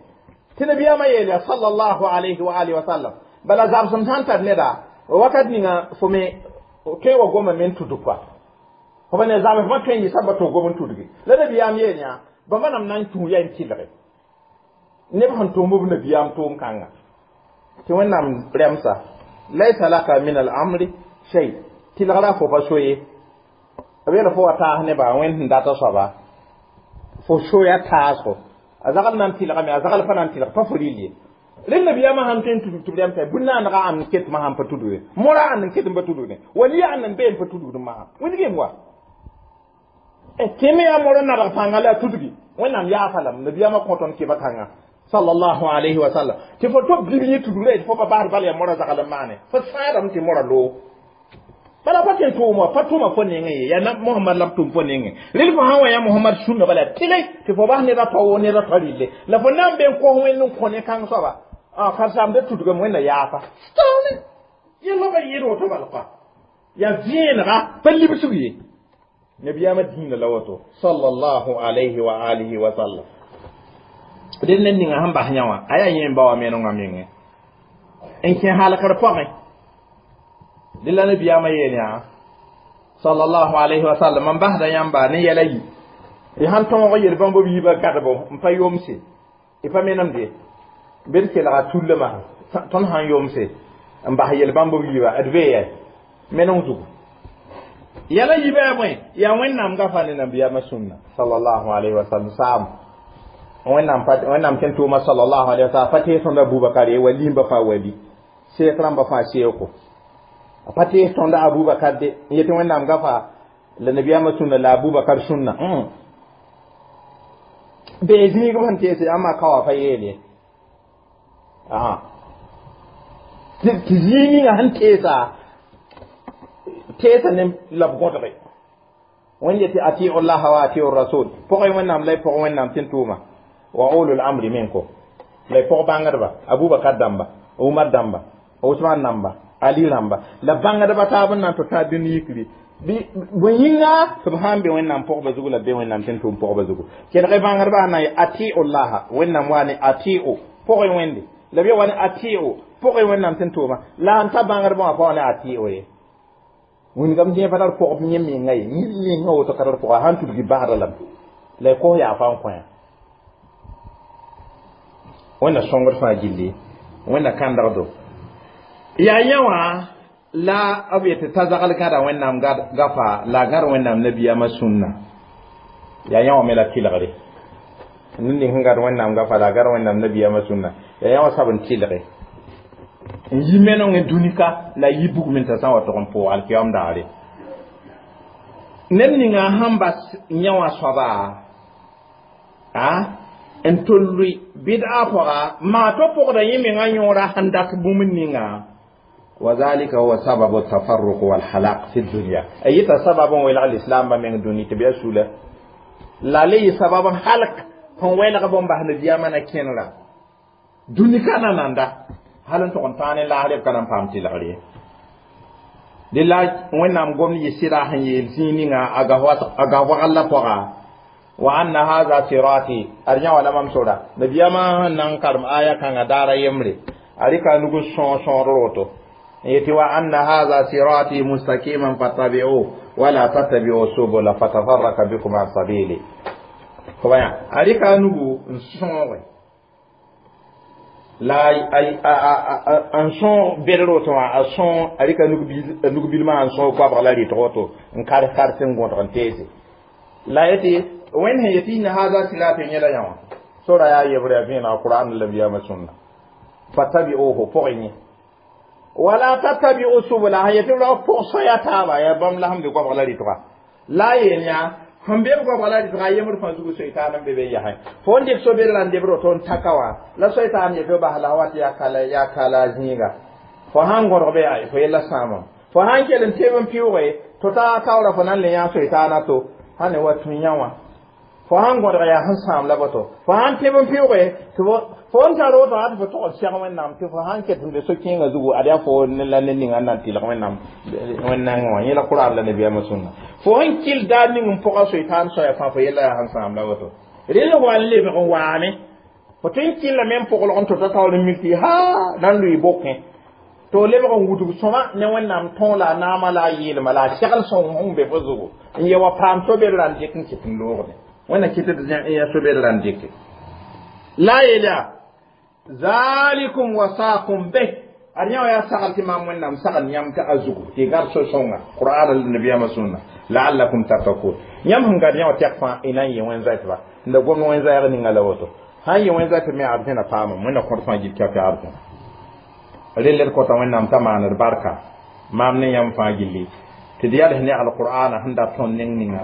tɩ nabiyaamã yeel yaa sallallahu alayhi wa alihi wa sallam bala zabsem sãn tar neda wakat ninga fo me tõe wa goma me n tudg kɔa fo pa ne zabs fõ tõe n yɩ saba tɩ gom n tudgi la nabiyaam yeel yã bãmba nam na n tũ yaa n tɩlge neb sẽn tʋm b nabiyaam tʋʋm kãnga tɩ wẽnnaam rɛmsa laysa laka min al amri shay tɩlgra fo pa so ye b yeel fo wa taas neba wẽnd sẽn data soaba fo soya taasgo a zagl na n tɩlgame a zagl pa na n tɩlg pa fo rɩl ye rel nabiyaamã sãn tõe n tudg tɩ b rɛmsa bũn-naanega ãnd n ket masã n pa tudgde mora ãnd n ket n pa tudgde waliya ãnd n bee n pa tudgd masã wĩndgem wa tɩ me yaa mora nadg pãnga la a tudgi wẽnnaam yaafa lame nabiyaamã kõ tõnd kɩba kãnga sallallahu alayhi wa sallam tɩ fo to bib yẽ tudgra tɩ fo pa basd bal yaa mora zagl n maane fo sãadame tɩ mora loog bala pa tɩ n tʋʋm wa pa tʋma fo nengẽ ye yaa Mohamad la b tʋm fo nengẽ rel fo sã n wa yã Mohamad sũnna bala tɩle tɩ fo bas neda tao neda tao rɩlle la fo na n be n kos wẽnd n kõ ne kãng soaba karen-saamda tudgame wẽnna yaafa taoone yẽlma pa yɩɩd woto bal koa yaa vẽenega pa libsg ye nabiyaamã dĩinã la woto sallallahu alayhi wa alihi wa sallam ded ned ninga sẽn bas yã wã a yaa yẽ n ba wa menengã mengẽ n kẽ halkr pʋgẽ dẽ la nabiyaamã yeel yã sallallahu alayhi wa sallam n basda yãmba ne yɛla yi y sãn tõog yel-bãmb b yiibã gadbo n pa yomse y pa menemde bd kelga tullmã tõnd sãn yomse n bas yel-bãmb b yiiba d bee yɛ meneng zugu yɛla yiibã yaa bõe yaa wẽnnaam gafa ne nabiyaamã sũnna sallallahu alayhi wa sallam saam wẽnnaam wẽnnaam tẽn tʋʋma sallallahu alayhi wa sallam pa tees tõnd Abubakar ye wa limba fãa wali seek rãmba fãa seeko a pa tees tõnd Abubakar de n yetɩ wẽnnaam gafa la nabiyaamã sũnna la Abubakar sũnna bee zĩig b sẽn teese ãmba ka wa pa yeel ye tɩ zĩig ninga sẽn teesa teesa ne la b gõdge wẽnd yetɩ atiu llaha wa atiu rasul pʋgẽ wẽnnaam la y pʋg wẽnnaam tɩ n tʋʋma wa ulul amri minkum la y pʋg bãngdba Abubakar dãmba Umar dãmba Usman dãmba Ali rãmba la bãngdba taab n na n tɩ tã dũni yikri bõe yĩnga tɩ b sãn be wẽnnaam pʋgba zugu la be wẽnnaam tɩ n tʋʋm pʋgba zugu kelg bãngdba na n atiu llaha wẽnnaam wa ne atiu pʋgẽ wẽnde la b ya wa ne atiu pʋgẽ wẽnnaam tɩ n tʋʋma la n ta bãngdbã wã pa wa ne atiu ye wĩnigame tẽ pa tar pʋgb yẽ menga ye yẽ menga woto ka tar pʋga sãn tudgi basda lame la y kos yaa fa n kõ wẽnna sõngd fãa gilli wẽnna kãndgdo yaa yã wã la b yetɩ t'a zagl gãda wẽnnaam gafa la a gãd wẽnnaam nabiyaamã sũnna yaa yã wã me la tɩlgre ned ning sẽn gãd wẽnnaam gafa la a gãd wẽnnaam nabiyaamã sũnna yaa yã wã sab n tɩlge n yi menengẽ dũnika la yi bugmẽ t'a sã n wa tog n pʋʋg alkiyam daare ned ninga sãn bas yã wã soaba a n tol lʋɩ bɩd'a pʋga maa to pʋgda yẽ mengã yõora sẽn dat bũmb ninga وذلك هو سبب التفرق والحلاق في الدنيا أي سبب ويلغ الإسلام من دوني تبيا سولة لا لي سبب حلق هون ويلغ بوم باه نبيا من كينلا دوني كان ناندا هل أنت قنطاني لا هل كان فهمتي لغري لله وين قوم يسيرا هن يلزيني أغا وغلا بوغا وأن هذا صراطي أرجع ولا ممسورة نبيا ما ننكر آية كان دارا يمري أريكا نقول شون شون روتو يتي وأن هذا صراطي مستقيما فاتبعوه ولا تتبعوا السبل فتفرق بكم عن سبيلي كما أريكا نقول شون la n sõog bed roto wã a sõog a rɩka nug-bilmã n sõog koabg la rɩtg woto n kars kars n gõdg n teese la yetɩ wẽnd sẽn yetɩ inna hada sirati yẽla yã wã sora yaa yebrã yaa vẽenega Qur'an la nabiyaamã sũnna fattabi'uhu pʋgẽ yẽ wala tattabi'u subula sẽn yetɩ ra pʋg soya taaba yaa bãmb la sẽn be koabg la rɩtga la a yeel yã sẽn be b goabg la rɩtga yembd fãa zugu soitaan n be be yasẽ fo n dɩk so-bedrã n debd woto n taka wã la soitaan yetɩ bas la wat yaa kala yaa kala zĩiga fo sãn gõdg be fo yella sãamam fo sãn kell n teb n pɩʋʋge to ta taoora fo nan le yã soy-taana to sãn ne wa tũ yã wã fo sãn gõdg yaa sẽn sãam la boto fo sãn teb n pɩʋʋge tɩ fo n tar woto tɩ fo tog n sɛg wẽnnaam tɩ fo sãn ket n be so-kẽengã zugu ad yaa fo la ned ninga n na n tɩlg wẽnnaam wẽn-nengẽ wã yẽ la qur'an la nabiyaamã sũnna fo sẽn kɩl daar ning n pʋga soy-taan soaya fãa fo yella yaa sẽn sãam la woto rel wa n lebg n waame fo tõe n kɩllame n pʋglg n tota taoor n mik tɩ ha na n lʋɩ bokẽ to lebg n wudg sõma ne wẽnnaam tõog la a naamã la a yeelma la a segl sõng sẽn be fo zugu n ye wa paam sobed ra n dɩk n kɩt n loogde wẽnna kɩt d yã sobed ra n dɩke la yeel yaa zalikum wasakum bih ad yã wa yaa sagl tɩ maam wẽnnaam sagl yãmb tɩ a zugu tɩ gad so-sõnga qur'an la nabiyaamã sũnna la'allakum tattakun yãmb sẽn gad yã wã tɛk fãa y na n yɩ wẽn-zoɛtba n da gomd wẽn-zoɛɛg ninga la woto sãn yɩ wẽn-zoɛtb me arzẽna paamam wẽnna kõt fãa gil kɛpɛ arzẽna rel d kõta wẽnnaam t'a maaned barka maam ne yãmb fãa gilli tɩ d yals ne alqur'ana sẽn dat tõnd neng ninga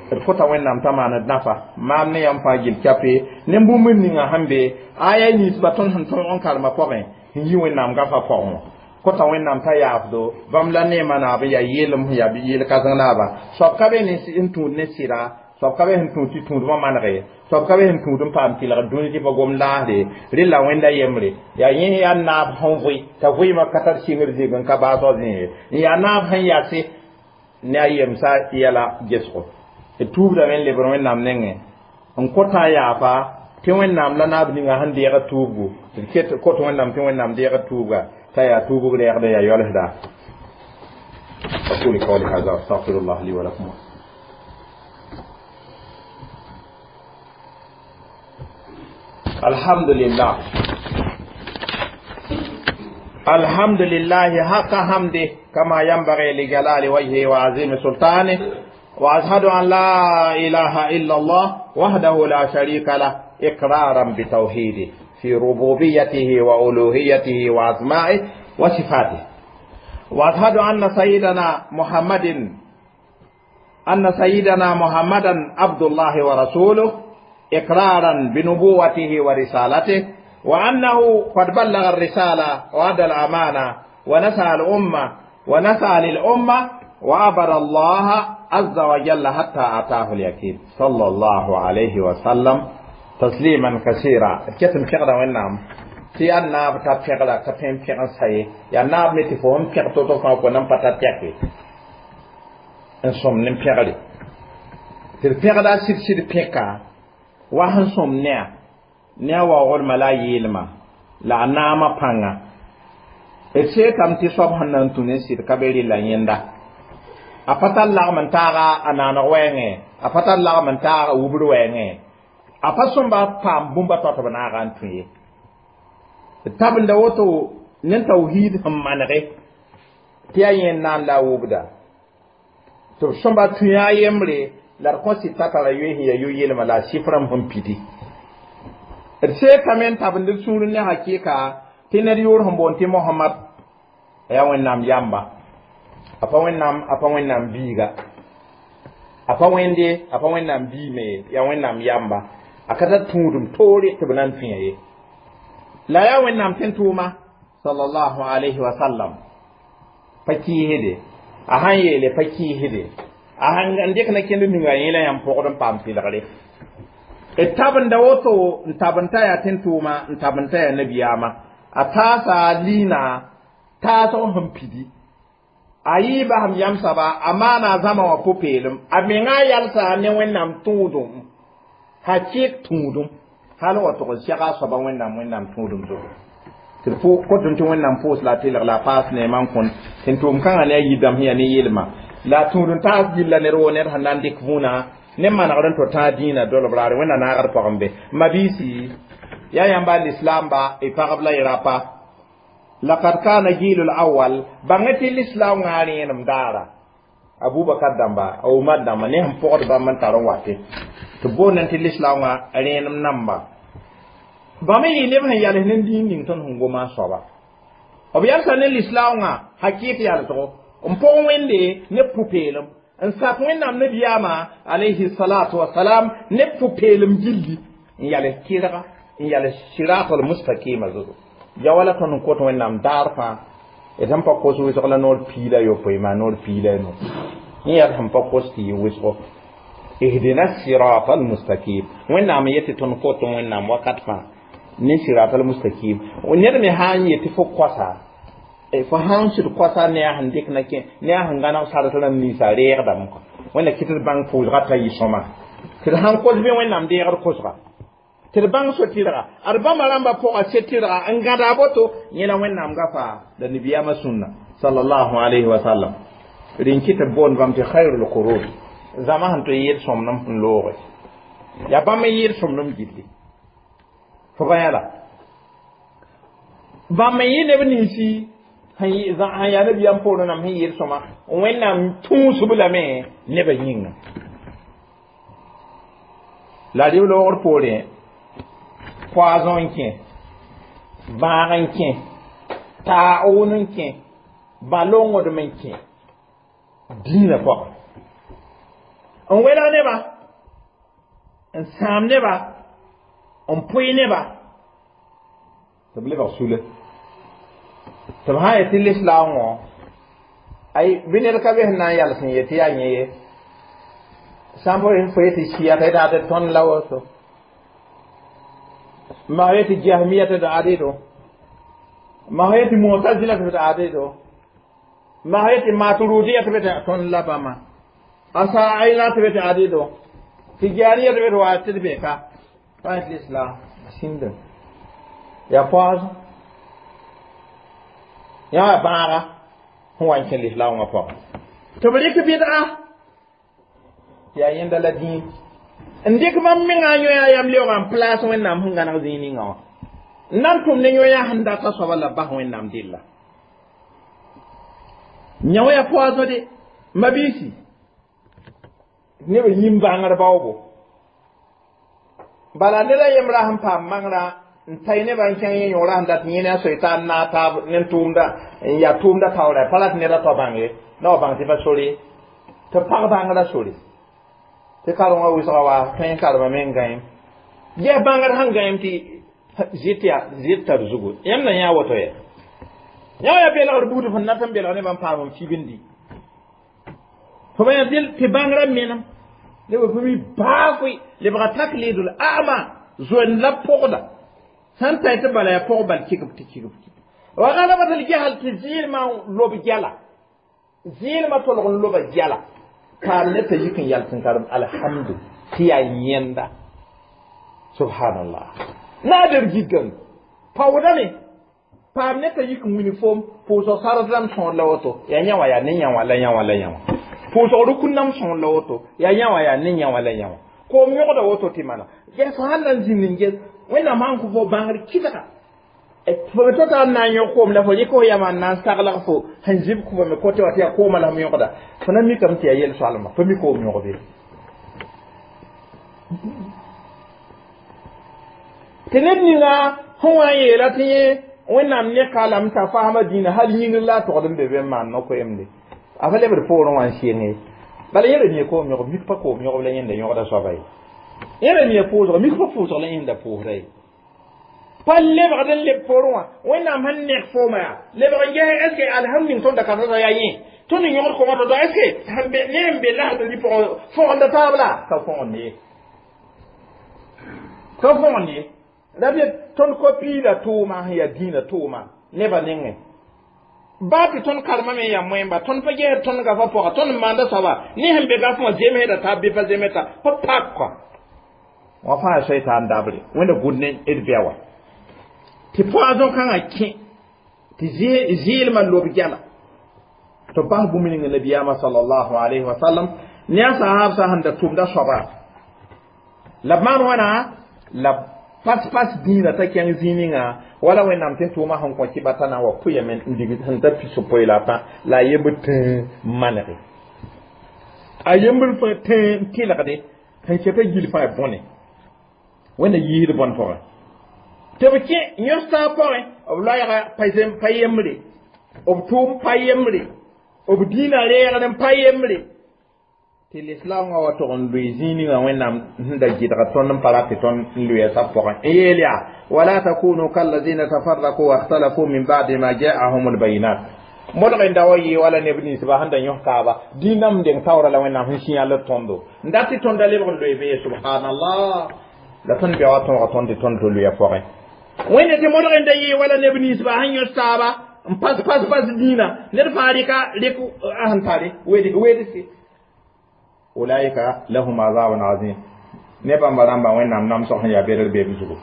d kõta wẽnnaam t'a maaned nafa maam ne yãmb fãa gil kɛpɛ ne bũmb ninga sẽn be aya ninsba tõnd sẽn tõog n karema pʋgẽ n yi wẽnnaam gafa pʋgẽ wã kõta wẽnnaam t'a yaafdo bãmb la neemã naab n yaa yeelem sẽn yaa yel-kãseng naaba soab ka be n tũud ne sɩda soab ka be sẽn tũud tɩ tũudmã manege soab ka be sẽn tũud n paam tɩlg dũni tɩ pa gom laasde rella wẽnda yembre yaa yẽ yaa naab sẽn vʋɩ t'a vɩɩmã ka tar sɩngr zɩg n ka baasg zĩ ye n yaa naab sẽn yase ne a yemsa yɛla gesgo d tuubdame n lebr wẽnnaam nengẽ n kõta yaafa tɩ wẽnnaam la naab ninga sẽn deeg tuubgu d ket kõt wẽnnaam tɩ wẽnnaam deeg tuubga t'a yaa tuubg reegda yaa yɔlsda أقول قولي هذا وأستغفر الله لي ولكم الحمد لله الحمد لله حق حمده كما ينبغي لجلال وجهه وعظيم سلطانه وأشهد أن لا إله إلا الله وحده لا شريك له إقرارا بتوحيده في ربوبيته وألوهيته وأسمائه وصفاته وأشهد أن سيدنا محمد أن سيدنا محمدا عبد الله ورسوله إقرارا بنبوته ورسالته وأنه قد بلغ الرسالة وأدى الأمانة ونسى الأمة ونسى للأمة وعبد الله عز وجل حتى أتاه اليقين صلى الله عليه وسلم تسليما كثيرا كتم كغدا ونام tɩ yaa naab t'a pẽgda ka tõe n pẽg n sa ye yaa naab me tɩ fo sẽn pẽg to-to fãa fo nan pa ta tɛke n sõm ne pẽgre tɩ d pẽgda sɩd-sɩd pẽka wa sẽn sõm ne-a ne a waoogdmã la a yeelmã la a naamã pãnga d seetame tɩ soab sẽn na n tũ ne sɩd ka be rɩla yẽnda a pa tar lagm n taaga a naaneg wɛɛngẽ a pa tar lagm n taag a wubr wɛɛngẽ a pa sõmba paam bũmba tao tɩ b naaga n tũ ye tabenda woto ne tawhid sẽn manege tɩ yaa yẽ n na n la a wubda tɩ b sõmba tũ a yembre la d kõs tɩ ta tara yoe sẽn yaa yo-yelmã la a sɩf rãmb sẽn pidi d seetame n tabend d sũur ne hakɩɩka tɩ ned yʋʋr sẽn boond tɩ mohamad a yaa wẽnnaam yamba a pa wẽnnaam a pa wẽnnaam biiga a pa wẽnde a pa wẽnnaam biime ye yaa wẽnnaam yamba a ka tar tũudum toore tɩ b na n tũya ye la yaa wẽnnaam tẽn-tʋʋma sallallahu alayhi wa sallam pa kɩɩsde a sãn yeele pa kɩɩsde a sãn n dɩk na kẽnd ninga yẽ la yãmb pʋgd n paam tɩlgre d tabenda woto n tabend t'a yaa tẽn-tʋʋma n tabend t'a yaa nabiyaamã a taasa liina taasg sẽn pidi a yɩɩba sẽm yam soaba a maana a zãma wã pʋ-peelem a menga yalsa ne wẽnnaam tũudum hakɩɩk tũudum hal wa tʋg n sɛga a soaba wẽnnaam wẽnnaam tũudum zugu tɩ d kõtẽ tɩ wẽnnaam pʋʋs la a tɩlg la a paas neemã n kõn tɩ n tʋʋm kãngã ne a yidame sẽn yaa ne yelmã la a tũud n taas gilla ned woo ned sẽn na n dɩk vũuna ne manegr n to tãag dĩinã dolb raare wẽnna naagd pʋgẽ be mabiisi yaa yãmba lislaamba y pagb la y rapa laqad kana jilu lawal bãng tɩ lislaam wã rẽenem daara abubakar dãmba a umar dãmba ne sẽn pʋgd bãmb n tar n wate tɩ boondẽ tɩ lislaam wã rẽenem namba bãmb n yɩ neb sẽn yals ne dĩin ning tõnd sẽn goma a soaba b yalsa ne lislaam wã hakɩɩk yalsgo n pʋg wẽnde ne pʋ-peelem n sak wẽnnaam nabiyaamã alayhi salatu wasalam ne pʋ-peelem gilli n yals kɩrga n yals siratal mustaqima zugu ya wala tõnd n kot wẽnnaam daar fãa d sẽn pa kos wɩsg la noor piig la yopoe maa noor piig la no yẽ yaa d sẽn pa kos tɩ yɩ wɩsgo ihdina sirata almustaqim wẽnnaam n yet tɩ tõnd kot wẽnnaam wakat fãa ne sirata almustaqim ned me sã n yet tɩ fo koasa fo sãn sɩd koasa ne a sẽn dɩk na kẽ ne a sẽn gãneg sard rãmb ninsã reegdame kɔ wẽnna kɩ tɩ d bãng pʋʋsga t'a yɩ sõma tɩ d sãn kos bɩ wẽnnaam deegd kosga tɩ d bãng so-tɩrga ad bãmba rãmbã pʋga se-tɩrga n gãda a boto yẽ la wẽnnaam gafa la nabiyaamã sũnna sallallahu alayhi wa sallam rẽn kɩ tɩ b boond bãmb tɩ khairul qurun zãma sẽn tõe n yeel sõmnem n looge yaa bãmb n yeel sõmnem gilli fo ba yãla bãmb n yɩ neb ninsi sẽn yaa nabiyaam poorẽ rãmb sẽn yeel sõma wẽnnaam tũusb lame nebã yĩnga la rɩ loogr poorẽ poison n kẽ bãag n kẽ taoon n kẽ bã-longdem n kẽ dĩinã pʋgẽ n welg nebã n sãam nebã n pʋɩ nebã tɩ b lebg sule tɩ b sã n yet tɩ lislaam wã ay bɩ ned ka be sẽn na n yals n yet tɩ yaa yẽ ye sã n fo yet tɩ sɩyata d ad tõnd la woto ma yet tɩ jahmiyata d adedo ma yet tɩ mutazila tɩ d adedo ma yet tɩ maturidiyya tɩ b tõnd la bãmba asa ayla tɩ b tɩ adedo tɩ jaaniya tɩ b tɩ wa tɩ d be ka pa yet l'islam sĩnda yaa poaasẽ yaa bãaga sẽn wa n kẽ lislaam wã pʋgẽ tɩ b rɩk bɩdga tɩ yaa yẽnda la dĩin n dɩk bãmb mengã yõ-yã yam leoogã n plaas wẽnnaam sẽn gãneg zĩig ninga wã n na n tʋm ne yõ-yã sẽn data soaba la bas wẽnnaam della yã wã yaa poaasõ de mabiisi neb yĩm bãngr baoobo bala ned a yembra sẽn paam maŋrã n tay nebã n kẽng yẽ yõora sẽn dat yẽ ne a soy t'a n naag taab ne tʋʋmda n yaa tʋʋmda taoora pa rat ned a tao bãng ye na wa bãng tɩ pa sore tɩ pag bãngrã sore tɩ karengã wɩsga wa tõe n karema me n gãem ges bãngr sẽn gãem tɩ zɩt yaa zɩt tar zugu yãmb na yã woto yɛ yã wa yaa belgr buud fõn nat n belg nebã n paam n fibindi fo ba yã tɩ bãngrã menem neb f mi baa koe lebga taklidul a'ma zoend la pʋgda sãn tay tɩ bala yaa pʋg bal kɩgb tɩ kɩgb wa galabat al jahl tɩ zɩɩlmã lob gɛla zɩɩlmã tolg n loba gɛla paam ne t'a yik n yals n karem alhamdu tɩ yaa yẽnda subhanallah naader gigame paoodame paam ne t'a yik n wini foom pʋʋsg sard rãmb sõor la woto yaa yã wã yaa ne yã wã la yã wã la yã wã pʋʋsg rukun nam sõor la woto yaa yã wã yaa ne yã wã la yã wã koom yõgda woto tɩ mana ges sãn na n zĩnd n ges wẽnnaam sãn kõ fo bãngr kɩdga fo me tota n na n yõg koom la fo rɩk fo yama n na n saglg fo sẽn zib fo me kote wã tɩ yaa koomã la f yõgda fo na mikame tɩ yaa yel-soalma fo mi koom yõgbe tɩ ned ninga sẽn wa n yeela tɩ yẽ wẽnnaam ne ka lame t'a fasma dĩinã hal yĩngr la a togd n be be n maan no-koeemde a fa lebd poorẽ wã n sɩng ye bala yẽ ra mia koom yõgb mik pa koom yõgb la yẽnda yõgda soaba ye yẽ ra mia pʋʋsg mik pa pʋʋsg la yẽnda pʋʋsda ye pa lebgd n leb poorẽ wã wẽnnaam sẽn neg fooma yaa lebg n ges est ce que alhamd ning tõnd da kasata yaa yẽ tõnd n yõgd koomã to est ce que ne n be lasd rɩ pʋgẽ fõgenda taab la ka fõgend ye ka fõgend ye la b tõnd ko-piida tʋʋma sẽn yaa dĩinã tʋʋma nebã nengẽ baa tɩ tõnd karema me yaa moẽmba tõnd pa gesd tõnd gafa pʋga tõnd n maanda soaba ne sẽn be gaf wã zemsda taab bɩ pa zemta pa pak kɔ wã fãa soitaan dabre wẽnda gʋd ne d bɛ wã tɩ poison kãngã kẽ tɩ zɩɩlmã lob gɛla tɩ bas bũmb ninga nabiyaamã sallallahu alayhi wa sallam ne a sahabsã sẽn da tʋmda soaba la b maan wãna la pas-pas dĩinã t'a kẽng zĩig ninga wala wẽnnaam tɩ tʋʋmã sẽn kõ kɩba t'a na n wa pʋyame n dig sẽn ta pisopoe la a tã la a yembr tẽ manege a yembr fãa tẽ n tɩlgde sẽn ket a gil fãa bõne wẽnna yiisd bõn pʋgẽ tɩ b kẽ yõs-taab pʋgẽ b loɛɛga pa yembre b tʋʋm pa yembre b dĩinã reegd n pa yembre tɩ lislaam wã wa tog n loe zĩig ninga wẽnnaam sẽn da gɩdga tõnd n pa rat tɩ tõnd n loeya sab pʋgẽ n yeel yaa wala takunu kallazina tafarraku wakhtalafu min ba'di ma ja'ahum albayinat Modg n da wa yɩ wala neb ninsba sẽn da yõs taaba dĩinam deng taoora la Wẽnnaam sẽn sĩyã la tõndo n dat tɩ tõnda lebg n loe bee subhanallah la tõnd bia wa tõoga tõnd tɩ tõnd tɩ loya pʋgẽ wẽnde tɩ modg n da yɩ wala neb ninsba sẽn yõs taaba n pas pas pas dĩinã ned fãa rɩka rɩk a sẽn tare wedse ulaika lahum azabun azim ne bãmba rãmba Wẽnnaam namsg sẽn yaa bedr beeb zugu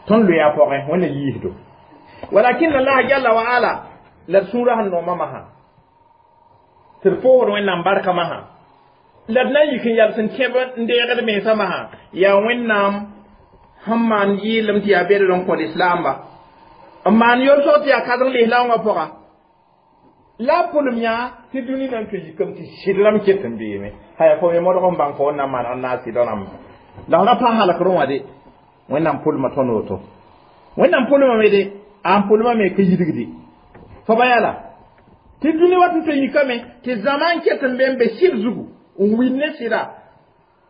tõnd loya pʋgẽ Wẽnna yiisdo walakin Allah jalla wa ala la d sũurã sẽn nooma masã tɩ d poosd Wẽnnaam barka masã la d na n yik n yals n kẽb n deegd mensã masã yaa Wẽnnaam sẽn maan yɩɩlem tɩ yaa bedr n kõ lislaamba n maan yolsg tɩ yaa kãseng lislaoongã pʋga la a pʋlem yã tɩ dũni na n tũ yikame tɩ sɩd rãmb ket n beeme haya fo me modg n bãng fo n na n maneg n naas sɩda rãmba la f ra pa halkrẽ wã de Wẽnnaam pʋlma tõnd woto Wẽnnaam pʋlmame de a n pʋlmame ka yidgde fo ba yala tɩ dũni wat n tũ yikame tɩ zãma n ket n be n be sɩd zugu n wil ne sɩda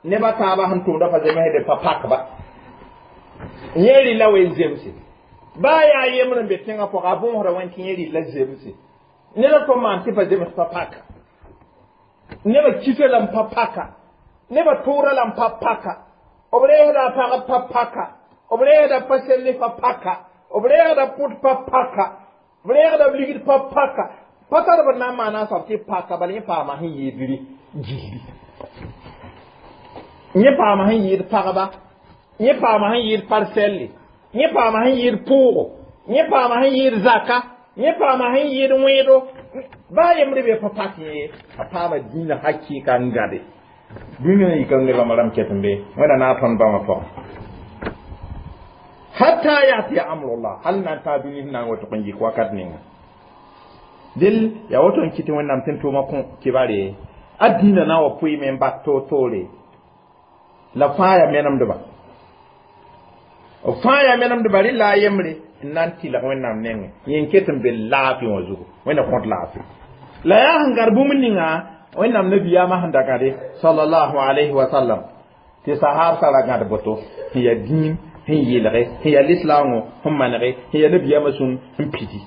neba taaba sẽn tʋmda pa zemsde pa pakba yẽ rɩla wen zemse baa yaa yembr n be tẽngã pʋga a bõosda wẽn tɩ yẽ rɩla zemse neda tɩ maan tɩ pa zems pa paka neba kisa la n pa paka neba tʋʋra la n pa paka b reesda a pagb pa paka b reesda pa selle pa paka b reegda pʋt pa paka b reegda b ligd pa paka pa tar b na n maana a soab tɩ paka bala yẽ paama sẽn yɩɩdre gilli yẽ paama sẽn yɩɩd pagba yẽ paama sẽn yɩɩd parsɛlle yẽ paama sẽn yɩɩd pʋʋgo yẽ paama sẽn yɩɩd zaka yẽ paama sẽn yɩɩd wẽedo baa yembre be pa pak yẽ a paama dĩinã hakɩɩka n gade dũniyã yikam ne bãmba rãmb ket n be Wẽnda na a tõnd bãmba pʋgẽ hatta yatiya amrullah hal na n taa dũni sẽn na n wa tʋg n yik wakat ninga del yaa woto n kɩ tɩ Wẽnnaam tɩ n tʋʋma kõ kibare a dĩinã na n wa pʋɩɩme n bas toor-toore la fãa yaa menemdba b fãa yaa menemdba rɩ la a yembre n na n tɩlg Wẽnnaam nengẽ yẽ n ket n be laafɩ wã zugu Wẽnna kõt laafɩ la yaa sẽn gad bũmb ninga Wẽnnaam nabiyaamã sẽn da gãde sallallahu alayhi wa sallam tɩ sahaab ra gãd boto sẽn yaa dĩin sẽn yeelge sẽn yaa lislaoongõ sẽn manege sẽn yaa nabiyaamã sũn sẽn pidi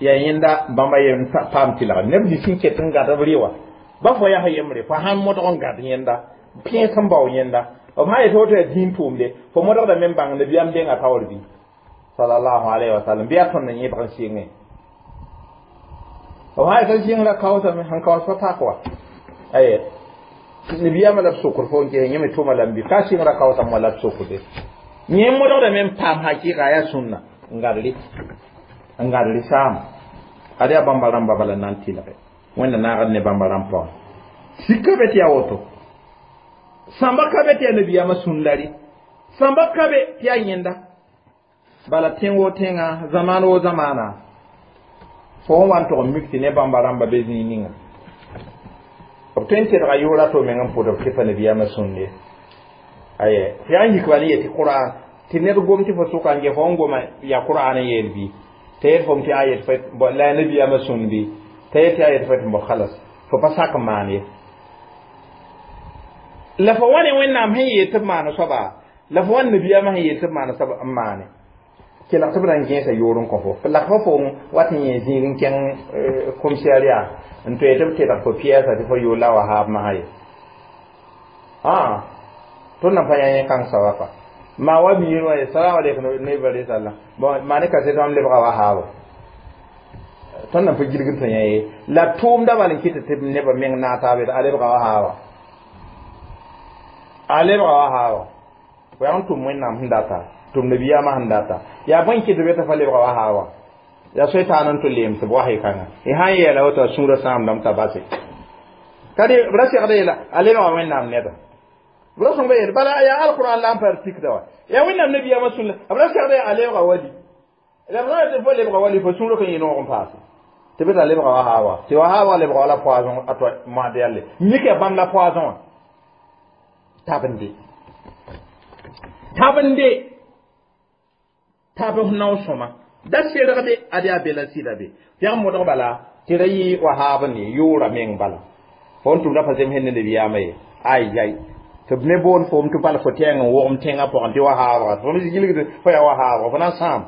yaa yẽnda bãmba yem paam tɩlgd neb nins sẽn ket n gad b rɩ wã ba fo yaa yembre fo sãn modg n gad yẽnda pẽes n bao yẽnda b sã yetɩ woto yaa dĩin tʋʋmde fo modgda me n bãng nabiyaam denga taoor bɩ sallallahu alayhi wa sallam bɩ yaa tõnd n yẽbg n sɩngẽ b sã yetɩ sɩngra kaoosame sẽn kaoos pa pak wa aye nabiyaamã la b sokd fo n ges yẽ me tʋma lame bɩ ka sɩngra kaoosame wa la b sokde yẽ modgda me n paam hakɩɩka yaa sũnna n gadre n gadre saama ad yaa bãmba rãmba bala na n tɩlge Wẽnda naagd ne bãmba rãmb pʋgẽ sika be tɩ yaa woto sãmba ka be tɩ yaa nabiyaamã sũnda rɩ sãmba ka be tɩ yaa yẽnda bala tẽng wo tẽnga zamaan wo zamaana fo n wa n tʋg n mik tɩ ne bãmba rãmba be zĩig ninga b tõe n tedga yʋʋra to meng n pʋd b tɩ pa nabiyaamã sũnde aye fo yaa n yik bala n yet tɩ qur'an tɩ ned gom tɩ fo sʋka n ge fo n goma yaa qur'an n yeel bɩ t'a yet fom tɩ a yet la yaa nabiyaamã sũnd bɩ t'a yet tɩ a yet fo tɩ bo khalas fo pa sak n maan ye la fo wa ne Wẽnnaam sẽn yeel tɩ b maan soaba la fo wa nabiyaamã sẽn yeel tɩ b maan soaba n maane kelg tɩ b na n gẽesa yoor n kõ fo la fo fo wat n yẽ zĩig n kẽng commissariat n toe tɩ b tedg fo piɛɛsa tɩ fo yoor la wa haab masã ye ã tõnd na pa yã yẽ kãng soaba fa maa wa miir wã ye salam aleykum ne bare salla bon maa ne kaset wãmb lebga wa haabo tõnd na pa gilgd tɩ yã ye la tʋʋmda bal n kɩt tɩ nebã meng naag taab a lebga wa haaba a lebga wa haaba fo yaa n tʋm Wẽnnaam sẽn data tʋm nabiyaamã sẽn data yaa bõe kɩt be tɩ fa lebga wa haaba yaa soetaan n tʋ leem tɩ b was y kãnga y sã n yeela woto a sũurã sãamdame t'a base ka b ra segda yeela a lebga Wẽnnaam neda b ra sõng yeel bala yaa alquran la n pa pikda wa yaa Wẽnnaam nabiyaamã sũn la b ra segda a lebga wali la b ra tɩ fo lebga wali fo sũurã kan yɩ noog n paase tɩ bɩ t'a lebga wa haaba tɩ wa haaba lebga wala poison a to moasd yalle mika bãmb la poison wã tabende tabende tab f nao sõma da sergde ad yaa be la sɩda be pɛg modg bala tɩ ra yɩ wa haab ne yʋʋra meng bala fo n tʋmda pa zems ne nabiyaamã ye ay yay tɩ b ne boond foom tɩ bal fo tɛɛng n wogm tẽngã pʋgẽ tɩ wa haabga fo me gilgd fo yaa wa haabga fo na n sãam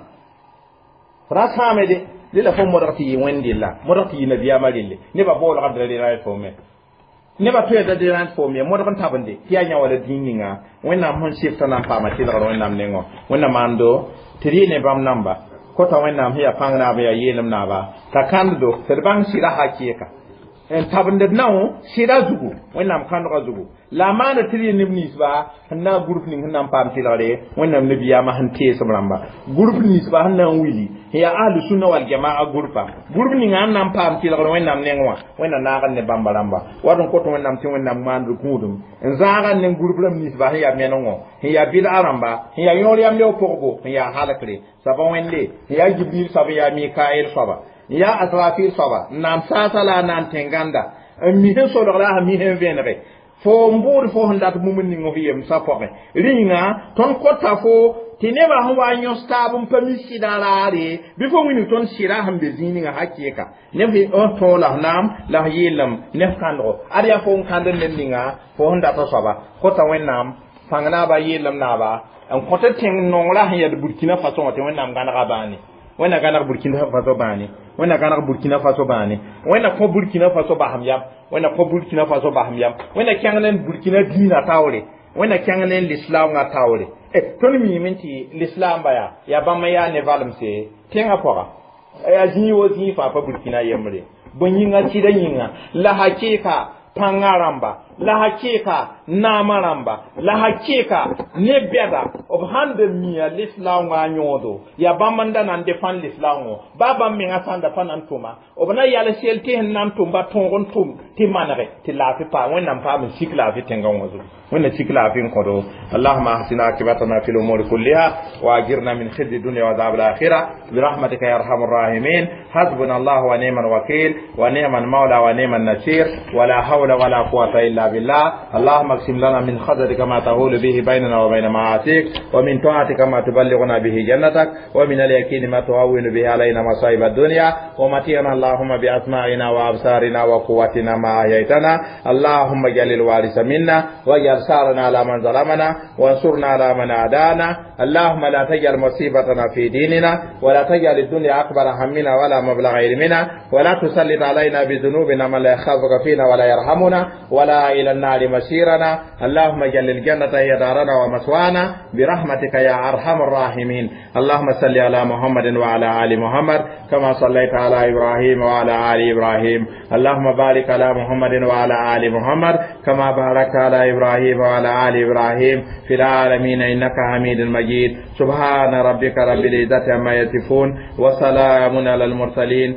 fo na n sãame de Rela fo modg tɩ yɩ wẽnd della modg tɩ yɩ nabiyaamã relle nebã boolga d ra fo me nebã tõe da derãnd fo me modg n tabende tɩ yaa yã wala dĩin ninga wẽnnaam sẽn sɩfta na n paama tɩlgr wẽnnaam nengõ wẽnnaam maando tɩ rɩ ne bãmb namba kota wẽnnaam sẽn yaa pãng naab n yaa yeelem naaba t'a kãnddo tɩ d bãng sɩda hakɩɩka n tabend d nao sɩda zugu wẽnnaam kãndgã zugu la a maanda tɩ rɩ neb ninsba sẽn na n group ning sẽn na n paam tɩlgre wẽnnaam nabiyaamã sẽn teesem rãmba group ninsba sẽn na n willi sẽn yaa ahlu sunna wal jamaa groupa group ninga sẽn na n paam tɩlgr wẽnnaam neng wã wẽnna naag ne bãmba rãmba wat n kot wẽnnaam tɩ wẽnnaam maand gũudum n zãaga ne group rãmb ninsba sẽn yaa menengõ sẽn yaa bɩd'a rãmba sẽn yaa yõor yam leo pʋgbo sẽn yaa halkre soaba wẽnde sẽn yaa jibril soaba yaa mikael soaba n yaa asrafil soaba n naan saasa la a naan tẽnganda n mi sẽn solg la a mi sẽn vẽnege fo n bʋʋd fo sẽn dat bũmb ning f yemsã pʋgẽ rĩnga tõnd kota fo tɩ nebã sẽn wa n yõs taab n pa mi sɩdã raare bɩ fo wilg tõnd sɩda sẽn be zĩig ninga hakɩɩka neb n tõog la f naam la f yeelem ne f kãndgo ad yaa fo n kãnd ned ninga fo sẽn data soaba kota wẽnnaam pãng naaba yeelem naaba n kõt tẽng nongrã sẽn yaa burkina faso wã tɩ wẽnnaam gãnega bãane wẽnna gãneg burkina faso bãane wẽnna gãneg burkina faso bãane wẽnna kõ burkina faso basem yam wẽnna kõ burkina faso basem yam wẽnna kẽng ne burkina dĩinã taoore wẽnna kẽng ne lislaoongã taoore tõnd miime tɩ lislaamba yaa yaa bãmb yaa ne valemse tẽngã pʋga yaa zĩig wo zĩig fãa pa burkina yembre bõe yĩnga sɩda yĩnga la hakɩɩka pãngã rãmba la hakɩɩka naamã rãmba la hakɩɩka ne bɛda b sãn da mia lislaoongã yõodo yaa bãmb n da na n defãn lislaoongõ baa bãmb mengã sã n da pa na n tʋma b na yal sel tɩ sẽn na n tʋm ba tõog n tʋm tɩ manege tɩ laafɩ paa wẽnnaam paam n sik laafɩ tẽngã wã zugu wẽnna sik laafɩ n kõdo اللهم احسن عاقبتنا في الامور كلها واجرنا من خزي الدنيا وعذاب الاخره برحمتك يا ارحم الراحمين حسبنا الله ونعم الوكيل ونعم المولى ونعم النصير ولا حول ولا قوه الا بالله اللهم اقسم لنا من خزرك ما تهول به بيننا وبين معاصيك ومن طاعتك ما تبلغنا به جنتك ومن اليقين ما تهون به علينا مصائب الدنيا ومتعنا اللهم بأسماعنا وأبصارنا وقوتنا ما أحييتنا اللهم اجعل الوارث منا واجعل ثارنا على من ظلمنا وانصرنا على من عادانا اللهم لا تجعل مصيبتنا في ديننا ولا تجعل الدنيا أكبر همنا ولا مبلغ علمنا ولا تسلط علينا بذنوبنا من لا يخافك فينا ولا يرحمنا ولا إلى النار مسيرنا اللهم اجعل الجنة هي دارنا ومثوانا برحمتك يا أرحم الراحمين اللهم صل على محمد وعلى آل محمد كما صليت على إبراهيم وعلى آل إبراهيم اللهم بارك على محمد وعلى آل محمد كما باركت على إبراهيم وعلى آل إبراهيم في العالمين إنك حميد مجيد سبحان ربك رب العزة عما يصفون وسلام على المرسلين.